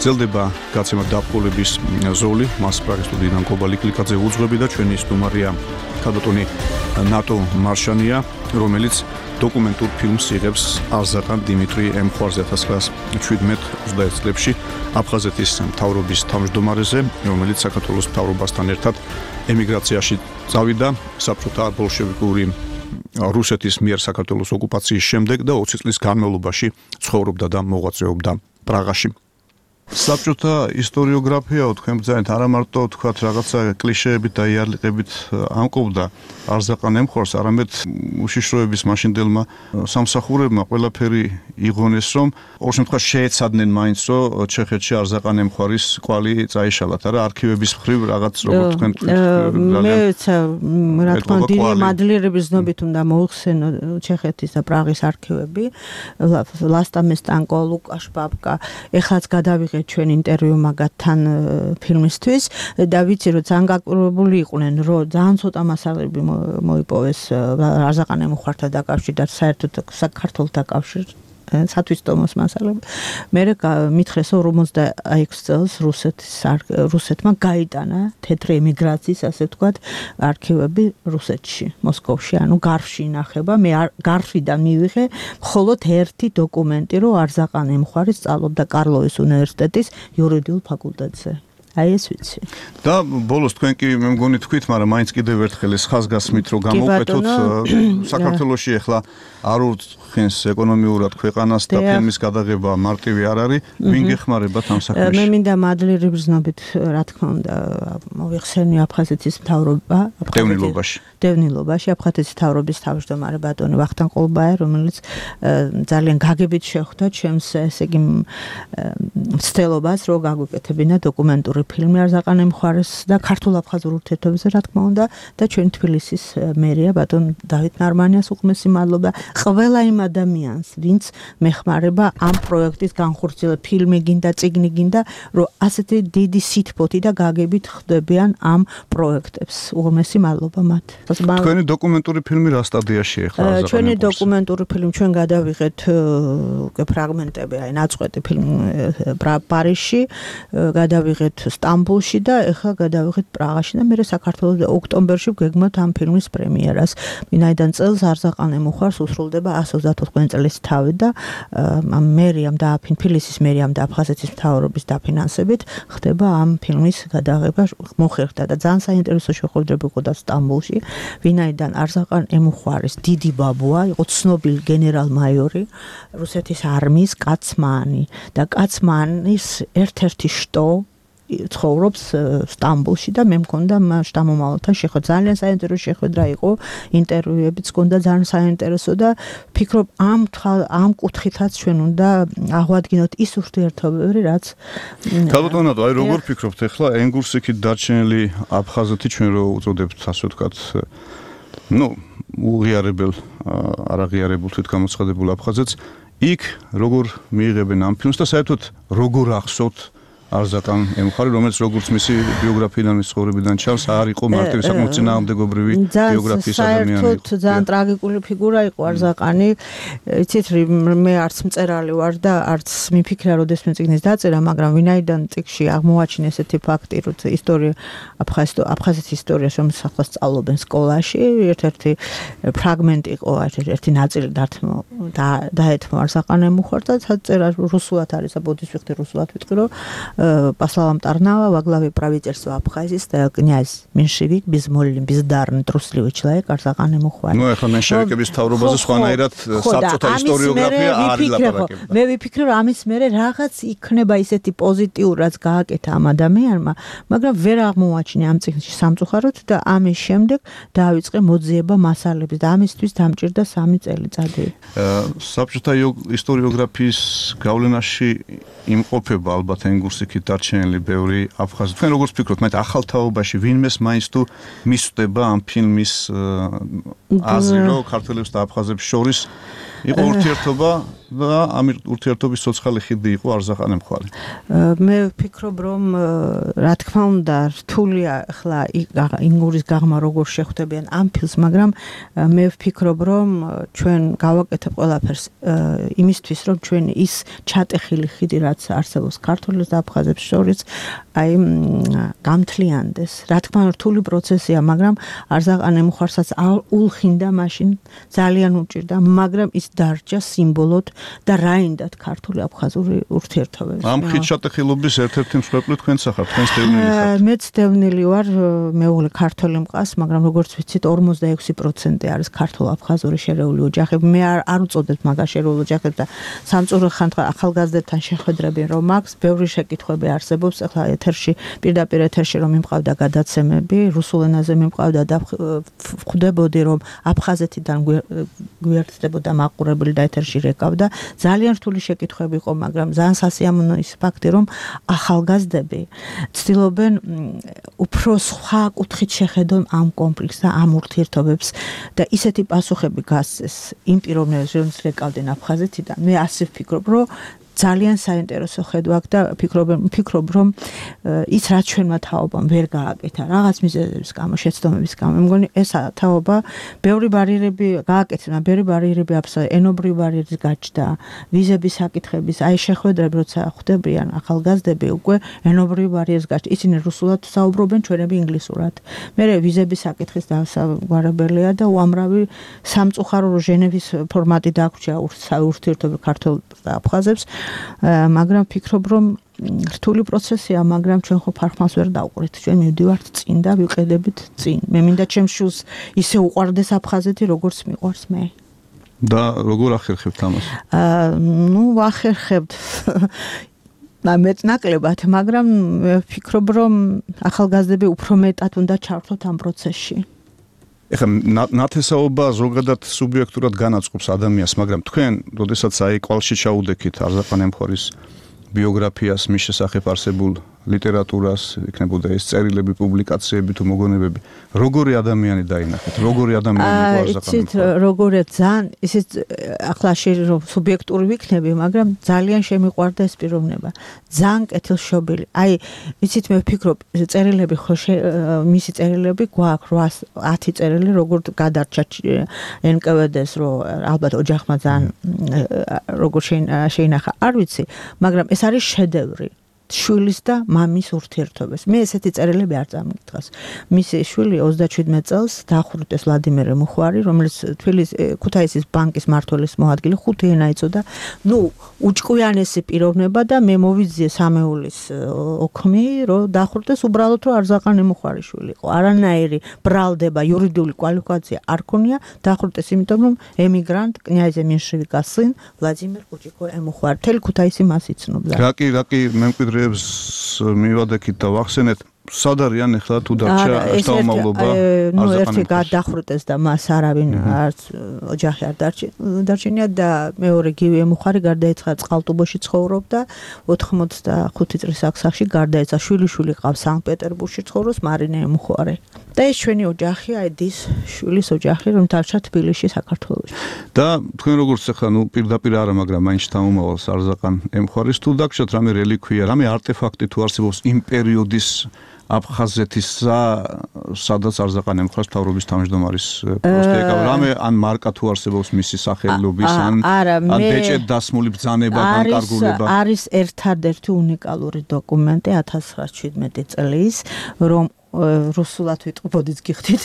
გრძელდება გაცემა დაპყრობის ზოლი, მას პრაღის სტუდიიდან კობალი კლიკაძე უძღვები და ჩვენი სტუმარია ქალბატონი ნატო მარშანია, რომელიც დოკუმენტურ ფილმს იღებს არზაყან დიმიტრი ემხვარზე ათას ცხრაასი შვიდმეტ ოცდაერთ წლებში აფხაზეთის მთავრობის თავმჯდომარეზე, რომელიც საქართველოს მთავრობასთან ერთად ემიგრაციაში წავიდა საბჭოთა ბოლშევიკური რუსეთის მიერ საქართველოს ოკუპაციის შემდეგ და ოცი წლის განმავლობაში ცხოვრობდა და მოღვაწეობდა პრაღაში. საბჭოთა ისტორიოგრაფიაო თქვენ ბრძანეთ არა მარტო თქვათ რაღაცა კლიშეებით და იარლიყებით ამკობდა არზაყან ემხვარს, არამედ უშიშროების მაშინდელმა სამსახურებმა ყველაფერი იღონეს, რომ ორ შემთხვევაში შეეცადნენ მაინც, რომ ჩეხეთში არზაყან ემხვარის კვალი წაიშალათ, არა არქივების მხრივ რაღაც როგორ თქვენ მე რა თქმა უნდა დიდი მადლიერების ზნობით უნდა მოიხსენო ჩეხეთის და პრაღის არქივები, ლასტამესტანკო, ლუკაშ ბაბკა, ეხლაც გადავიღე ჩვენ ინტერვიუ მაგათთან ფილმისთვის და ვიცი რომ ძალიან გაკურებული იყვნენ რომ ძალიან ცოტა მასალები მოიპოვეს არზაყან ემხვართან დაკავშირებით საერთოდ საქართველოს დაკავშირებით სათვისტომოს მასალები. მე მითხრეს ორმოცდაექვსი წელს რუსეთის რუსეთმა გაიტანა თეთრი ემიგრაციის ასე ვთქვათ არქივები რუსეთში, მოსკოვში, ანუ გარშში ინახება. მე გარშიდან მივიღე მხოლოდ ერთი დოკუმენტი, რომ არზაყან ემხვარი სწავლობდა კარლოვის უნივერსიტეტის იურიდიულ ფაკულტეტზე. აი ეს ვიცი. და ბოლოს თქვენ კი მე მგონი თქვით, მაგრამ მაინც კიდევ ერთხელ ეს ხაზგასმით რომ გამოვკვეთოთ საქართველოში ახლა არ უხენს ეკონომიურად ქვეყანას და ფილმის გადაღება მარტივი არ არის, ვინ გეხმარებათ ამ საქმეში? მე მინდა მადლიერების ზნობით რა თქმა უნდა მოვიხსენე აფხაზეთის მთავრობა, დევნილობაში. დევნილობაში აფხაზეთის მთავრობის თავმჯდომარე ბატონი ვახტანგ ყოლბაია, რომელიც ძალიან გაგებით შეხვდა ჩემს ესე იგი მცდელობას, რომ გაგვიკეთებინა დოკუმენტური ფილმი არზაყან ემხვარის და ქართულ-აფხაზურ ურთიერთობებზე რა თქმა უნდა და ჩვენ თბილისის მერია ბატონ დავით ნარმანიას უღმესი მადლობა ყველა იმ ადამიანს, ვინც მეხმარება ამ პროექტის განხორციელებას, ფილმი გინდა, წიგნი გინდა, რომ ასეთი დიდი სითბოთი და გაგებით ხდებიან ამ პროექტებს. უღმესი მადლობა მათ. თქვენი დოკუმენტური ფილმი რა სტადიაში ახლა არზაყან ემხვარს? ჩვენი დოკუმენტური ფილმი ჩვენ გადავიღეთ უკვე ფრაგმენტები, აი ნაწყვეტი ფილმი პარიზში, გადავიღეთ სტამბოლში და ახლა გადავიღეთ პრაღაში და მე საქართველოს ოქტომბერში ვგეგმოთ ამ ფილმის პრემიერას. ვინაიდან წელს არზაყან ემხვარს უსრულდება ასი ოცდაოთხი წლის თავი და მერიამ და თბილისის მერიამ და აფხაზეთის მთავრობის დაფინანსებით ხდება ამ ფილმის გადაღება მოხერხდა და ძალიან საინტერესო შეხვედრები იყო და სტამბოლში, ვინაიდან არზაყან ემხვარის დიდი ბაბუა იყო ცნობილი გენერალ-მაიორი რუსეთის არმიის კაცმანი და კაცმანის ერთ-ერთი შტო ცხოვრობს სტამბოლში და მე მქონდა შტამომავალთან შეხვედრა. ძალიან საინტერესო შეხვედრა იყო, ინტერვიუებიც მქონდა ძალიან საინტერესო და ფიქრობ ამ ამ კუთხითაც ჩვენ უნდა აღვადგინოთ ის ურთიერთობები, რაც ქალბატონო, აი როგორ ფიქრობთ ახლა ენგურსიქით დარჩენილი აფხაზეთი ჩვენ რო უწოდებთ ასე ვთქვათ, ну უღიარებელ არაღიარებულ თვითგამოცხადებულ აფხაზეთს იქ როგორ მიიღებენ ამ ფილმს და საერთოდ როგორ ახსოვთ არზაკან ემუხარი, რომელიც როგორც მისი ბიოგრაფიიდან, მის ცხოვრებიდან ჩანს, არ იყო მარტივი საკმაოდ წინააღმდეგობრივი ბიოგრაფიის ადამიანი. საერთოდ ძალიან ტრაგიკული ფიგურა იყო არზაკანი. იცით, მე არც მწერალი ვარ და არც მიფიქრა, როდესმე წიგნის დაწერა, მაგრამ ვინაიდან წიგნში აღმოაჩინე ესეთი ფაქტი, რომ ისტორია აფხაზეთის ისტორიას, რომელიც ახლა სწავლობენ სკოლაში, ერთ-ერთი ფრაგმენტი იყო, ერთ-ერთი ნაწილი დაეთმო არზაკან ემუხარ და წერა რუსულად არის, ბოდის ვიხდი რუსულად ვიტყვი, რომ по словам Тарнава, во главе правительства Абхазии стоял князь меньшевик, безмолвный, бездарный, трусливый человек, Арзакан ემუხარი. Ну, ეხლა меньшевикების თავრობაზე სხვანაირად საბჭოთა ისტორიოგრაფია არ ილაპარაკებდა. მე ვიფიქრე, რომ ამის მერე რაღაც იქნება ისეთი პოზიტიური, რაც გააკეთა ამ ადამიანმა, მაგრამ ვერ აღმოაჩინე ამ წიგნში სამწუხაროდ და ამის შემდეგ დაავიწყე მოძიება მასალების და ამისთვის დამჭირდა სამი წელიწადი. საბჭოთა ისტორიოგრაფიის გავლენაში იმყოფება ალბათ ენგურსიქით დარჩენილი ბევრი აფხაზი. თქვენ როგორც ფიქრობთ, მათ ახალ თაობაში ვინმეს მაინც თუ მისვდება ამ ფილმის აზრი, რომ ქართველებს და აფხაზებს შორის იყო ურთიერთობა და ამ ურთიერთობის ცოცხალი ხიდი იყო არზაკან ემუხარი. მე ვფიქრობ, რომ რა თქმა უნდა, რთულია ახლა ინგურის გაღმა როგორ შეხვდებიან ამ ფილმს, მაგრამ მე ვფიქრობ, რომ ჩვენ გავაკეთებ ყველაფერს იმისთვის, რომ ჩვენ ის ჩატეხილი ხიდი, რაც არსებობს ქართველებს და აფხაზებს შორის, აი გამთლიანდეს. რა თქმა უნდა, რთული პროცესია, მაგრამ არზაკან ემუხარსაც ულხინდა მაშინ ძალიან უჭირდა, მაგრამ ის დარჩა სიმბოლოდ და რაინდად ქართული აფხაზური ურთიერთობები. ამ ხით ჩატეხილობის ერთ-ერთი მსხვერპლი თქვენც ახართ, თქვენს დევნილი ხართ. მეც დევნილი ვარ, მეუღლე ქართველი მყავს, მაგრამ როგორც ვიცით, ორმოცდაექვსი პროცენტი არის ქართულ-აფხაზური შერეული ოჯახები. მე არ არ უწოდებ მაგას შერეულ ოჯახებს და სამწუხაროდ ხანდახან ახალგაზრდებთან შეხვედრები რომ აქვს, ბევრი შეკითხვები არსებობს. ახლა ეთერში, პირდაპირ ეთერში რომ მიმყავდა გადაცემები, რუსულ ენაზე მიმყავდა და ვხვდებოდი რომ აფხაზეთიდან გვერდდებოდა მაყურებელი და ეთერში რეკავდა. ძალიან რთული შეკითხვები იყო, მაგრამ ძალიან სასიამოვნო ის ფაქტი, რომ ახალგაზრდები ცდილობენ უფრო სხვა კუთხით შეხედონ ამ კონფლიქტს და ამ ურთიერთობებს და ისეთი პასუხები გასცეს იმ პიროვნებებს, რომლებიც რეკავდნენ აფხაზეთიდან. მე ასე ვფიქრობ, რომ ძალიან საინტერესო ხედვა აქვს და ფიქრობ ფიქრობ რომ ის რაც ჩვენმა თაობამ ვერ გააკეთა რაღაც მიზეზების გამო, შეცდომების გამო. მე მგონი ეს თაობა ბევრი ბარიერები გააკეთა, ბევრი ბარიერები აფსა, ენობრივი ბარიერის გაჩნდა, ვიზების საკითხების, აი შეხვედრები როცა ხვდებიან ახალგაზრდები უკვე ენობრივი ბარიერის გაჩნდა. ისინი რუსულად საუბრობენ, ჩვენები ინგლისურად. მე ვიზების საკითხის დასაგვარებელია და უამრავი სამწუხარო ჟენევის ფორმატი დაგვრჩა ურთიერთობები ქართველებს და აფხაზებს. მაგრამ ფიქრობ, რომ რთული პროცესია, მაგრამ ჩვენ ხო ფარხმას ვერ დავყვრით. ჩვენ მივდივართ წინ და ვიყედებით წინ. მე მინდა ჩემს შვილს ისე უყვარდეს აფხაზეთი, როგორც მიყვარს მე. და როგორ ახერხებთ ამას? აა, ნუ ვახერხებთ მეც ნაკლებად, მაგრამ ვფიქრობ, რომ ახალგაზრდები უფრო მეტად უნდა ჩართოთ ამ პროცესში. ეხლა ნათესაობა ზოგადად სუბიექტურად განაწყობს ადამიანს, მაგრამ თქვენ, როდესაც აი კვალში ჩაუდექით არზაკან ემუხარის ბიოგრაფიას, მის შესახებ არსებულ ლიტერატურას, იქნებოდა ეს წერილები, პუბლიკაციები თუ მოგონებები, როგორი ადამიანი დაინახეთ? როგორი ადამიანი იყო არზაკან ემუხარი? იცით, როგორია ძალიან, ისიც ახლა შეიძლება სუბიექტური ვიქნები, მაგრამ ძალიან შემიყვარდა ეს პიროვნება. ძალიან კეთილშობილი. აი, იცით, მე ვფიქრობ, წერილები ხო მისი წერილები გვაქვს ათი წერილი, როგორ გადარჩა ენ კე ვე დე-ს, რომ ალბათ ოჯახმა ძალიან როგორ შეინახა, არ ვიცი, მაგრამ ეს არის შედევრი. შვილის და მამის ურთიერთობებს. მე ესეთი წერილები არ წამიგდღას. მისი შვილი ოცდაშვიდმეტ წელს დახვრიტეს ვლადიმერ ემუხარი, რომელიც თბილისის ქუთაისის ბანკის მმართველის მოადგილე, ხუთი ენა იცოდა. ნუ უჭკვიანესი პიროვნება და მე მოვიძიე სამეულის ოქმი, რომ დახვრიტეს უბრალოდ რომ არზაკან ემუხარის შვილი იყო. არანაირი ბრალდება, იურიდიული კვალიფიკაცია არ ქონია, დახვრიტეს იმიტომ რომ ემიგრანტ კნიაზე მენშევიკას წინ ვლადიმერ კუჭიკო ემუხარი. თელი ქუთაისი მას იცნობდა. რაკი, რაკი მემკვიდრე მივადექით და ვახსენეთ, სად არიან ახლა თუ დარჩა შთამომავლობა ნუ ერთი გადახრუტეს და მას არავინ არც ოჯახი არ დარჩენია და მეორე გივი ემუხარი გარდაეცვალა წყალტუბოში ცხოვრობდა ოთხმოცდახუთი წლის ასაკში გარდაეცა შვილიშვილი ყავს სანქტ-პეტერბურგში ცხოვრობს მარინე ემუხარი და ეს ჩვენი ოჯახი აიდის შვილის ოჯახი რომ დარჩა თბილისში საქართველოში და თქვენ როგორც ახლა ნუ პირდაპირ არა მაგრამ მაინც შთამომავალს არზაყან ემუხარის თუ დაგჭირთ რამე რელიკვია რამე არტეფაქტი თუ არსებობს იმ პერიოდის აფხაზეთისა სადაც არზაყან ემუხარის მთავრობის თავმჯდომარის პოსტი ეკავა რამე ან მარკა თუ არსებობს მისი სახელობის ან ან ბეჭედ დასმული ბრძანება განკარგულება არის ერთადერთი უნიკალური დოკუმენტი ათას ცხრაასი შვიდმეტი წლის რომ русулат витყობოდით გიხდით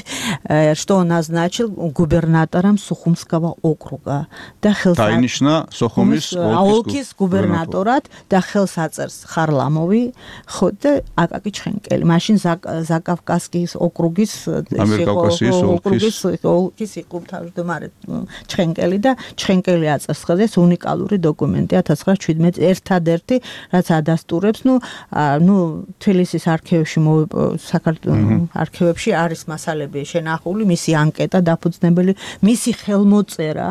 что назначил губернатором Сухумского округа და ხელს დაინიშნა სოხუმის ოლქის გუბერნატორად და ხელს აწერს ხარლამოვი ხო და აკაკი ჩხენკელი მაშინ ზაკავკასკის ოკრუგის ამიერკავკასიის ოლქის ოლქის იყო თავმჯდომარე ჩხენკელი და ჩხენკელი აწერს ხელს უნიკალური დოკუმენტი ათას ცხრაასი შვიდმეტი ერთადერთი რაც ადასტურებს ნუ ნუ თბილისის არქივებში არქივებში არის მასალები შენახული, მისი ანკეტა დაფუძნებელი, მისი ხელმოწერა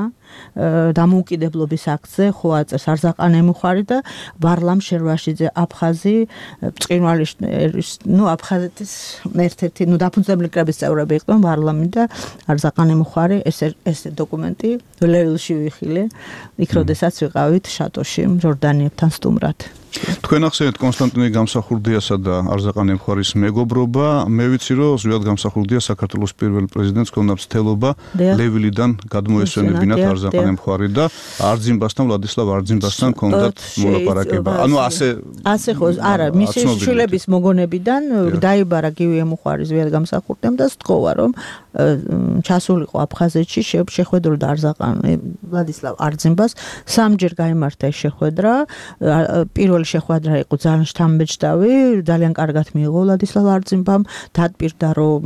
დამოუკიდებლობის აქტზე ხო აწეს არზაყან ემუხარი და ვარლამ შერვაშიძე აფხაზი ბრწყინვალის ნუ აფხაზეთის ერთ-ერთი ნუ დაფუძნებელი კრების წევრები იყვნენ ვარლამი და არზაყან ემუხარი ეს ეს დოკუმენტი ლევილში ვიხილე იქ როდესაც ვიყავით შატოში ჯორდანიებთან სტუმრად თქვენ ახსენეთ კონსტანტინე გამსახურდიასა და არზაყან ემუხარის მეგობრობა მე ვიცი რომ ზვიად გამსახურდია საქართველოს პირველ პრეზიდენტს ქონდა მცდელობა ლევილიდან გადმოესვენებინათ არზაყან ემუხარი და არძიმბასთან ვლადისლავ არძიმბასთან ქონდათ მოლაპარაკება ანუ ასე ასე ხო არა მისი შვილების მოგონებიდან დაიბარა გივი ემუხარი ზვიად გამსახურდიამ და სთხოვა რომ ჩასულიყო აფხაზეთში შეხვედროდა არზაყან ვლადისლავ არძიმბას სამჯერ გაიმართა ეს შეხვედრა პირველ შეხვედრა იყო ძალიან შთამბეჭდავი, ძალიან კარგად მიიღო ვლადისლავ არძიმბამ, დადპირდა რომ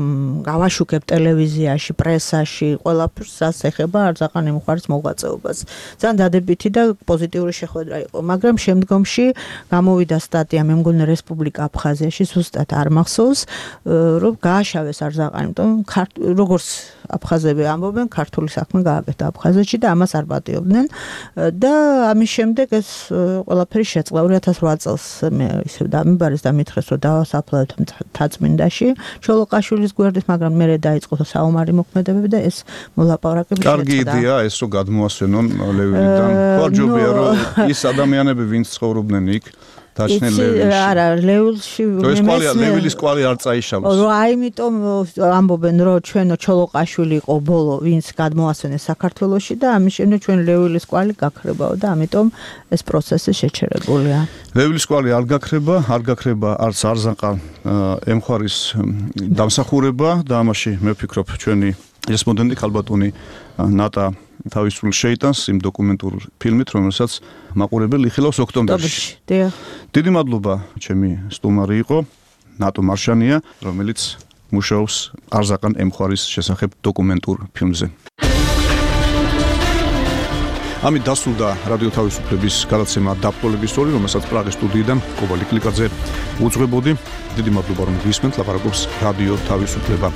გავაშუქებ ტელევიზიაში, პრესაში, ყველაფერს რაც ეხება არზაყან ემუხარის მოღვაწეობას. ძალიან დადებითი და პოზიტიური შეხვედრა იყო, მაგრამ შემდგომში გამოვიდა სტატია, მე მგონი რესპუბლიკა აფხაზიაში, ზუსტად არ მახსოვს, რომ გააშავეს არზაყანი, იმიტომ როგორც აფხაზები ამბობენ, ქართული საქმე გააკეთა აფხაზეთში და ამას არ პატიობდნენ და ამის შემდეგ ეს ყველაფერი შეწყდა ორი ათას ოთხ წელს მე ისე დამიბარეს და მითხრეს რომ დავასაფლავეთ მთაწმინდაში ჩოლოყაშვილის გვერდით მაგრამ მე დაიწყო საომარი მოქმედებები და ეს მოლაპარაკები შეწყდა. კარგი იდეა ეს რომ გადმოასვენონ ლევილიდან. ვარჯობია რომ ის ადამიანები ვინც ცხოვრობდნენ იქ დაჩნელ ლევილში. არა, ლევილში ლევილის კვალი არ წაიშალოს. რა, აიმიტომ ამბობენ რომ ჩვენო ჩოლოყაშვილი იყო ბოლო, ვინც გადმოასვენეს საქართველოში და ამის შემდეგ ჩვენ ლევილის კვალი გაქრებაო და ამიტომ ეს პროცესი შეჩერებულია. ლევილის კვალი არ გაქრება, არ გაქრება არც არზაყან ემუხარის დამსახურება და ამაში მე ვფიქრობ ჩვენი რესპონდენტი ქალბატონი ნატა თავისუფლ შეიტანს იმ დოკუმენტურ ფილმით, რომელსაც მაყურებელი იხილავს ოქტომბერში. დიდი მადლობა ჩემი სტუმარი იყო ნატო მარშანია, რომელიც მუშაობს არზაყან ემუხარის შესახებ დოკუმენტურ ფილმზე. ამით დასრულდა რადიო თავისუფლების გადაცემა დაბოლების ორი, რომელსაც პრაღის სტუდიიდან კობალი კლიკაძე უძღვებოდი. დიდი მადლობა რომ გვისმენთ, ლაპარაკობს რადიო თავისუფლება.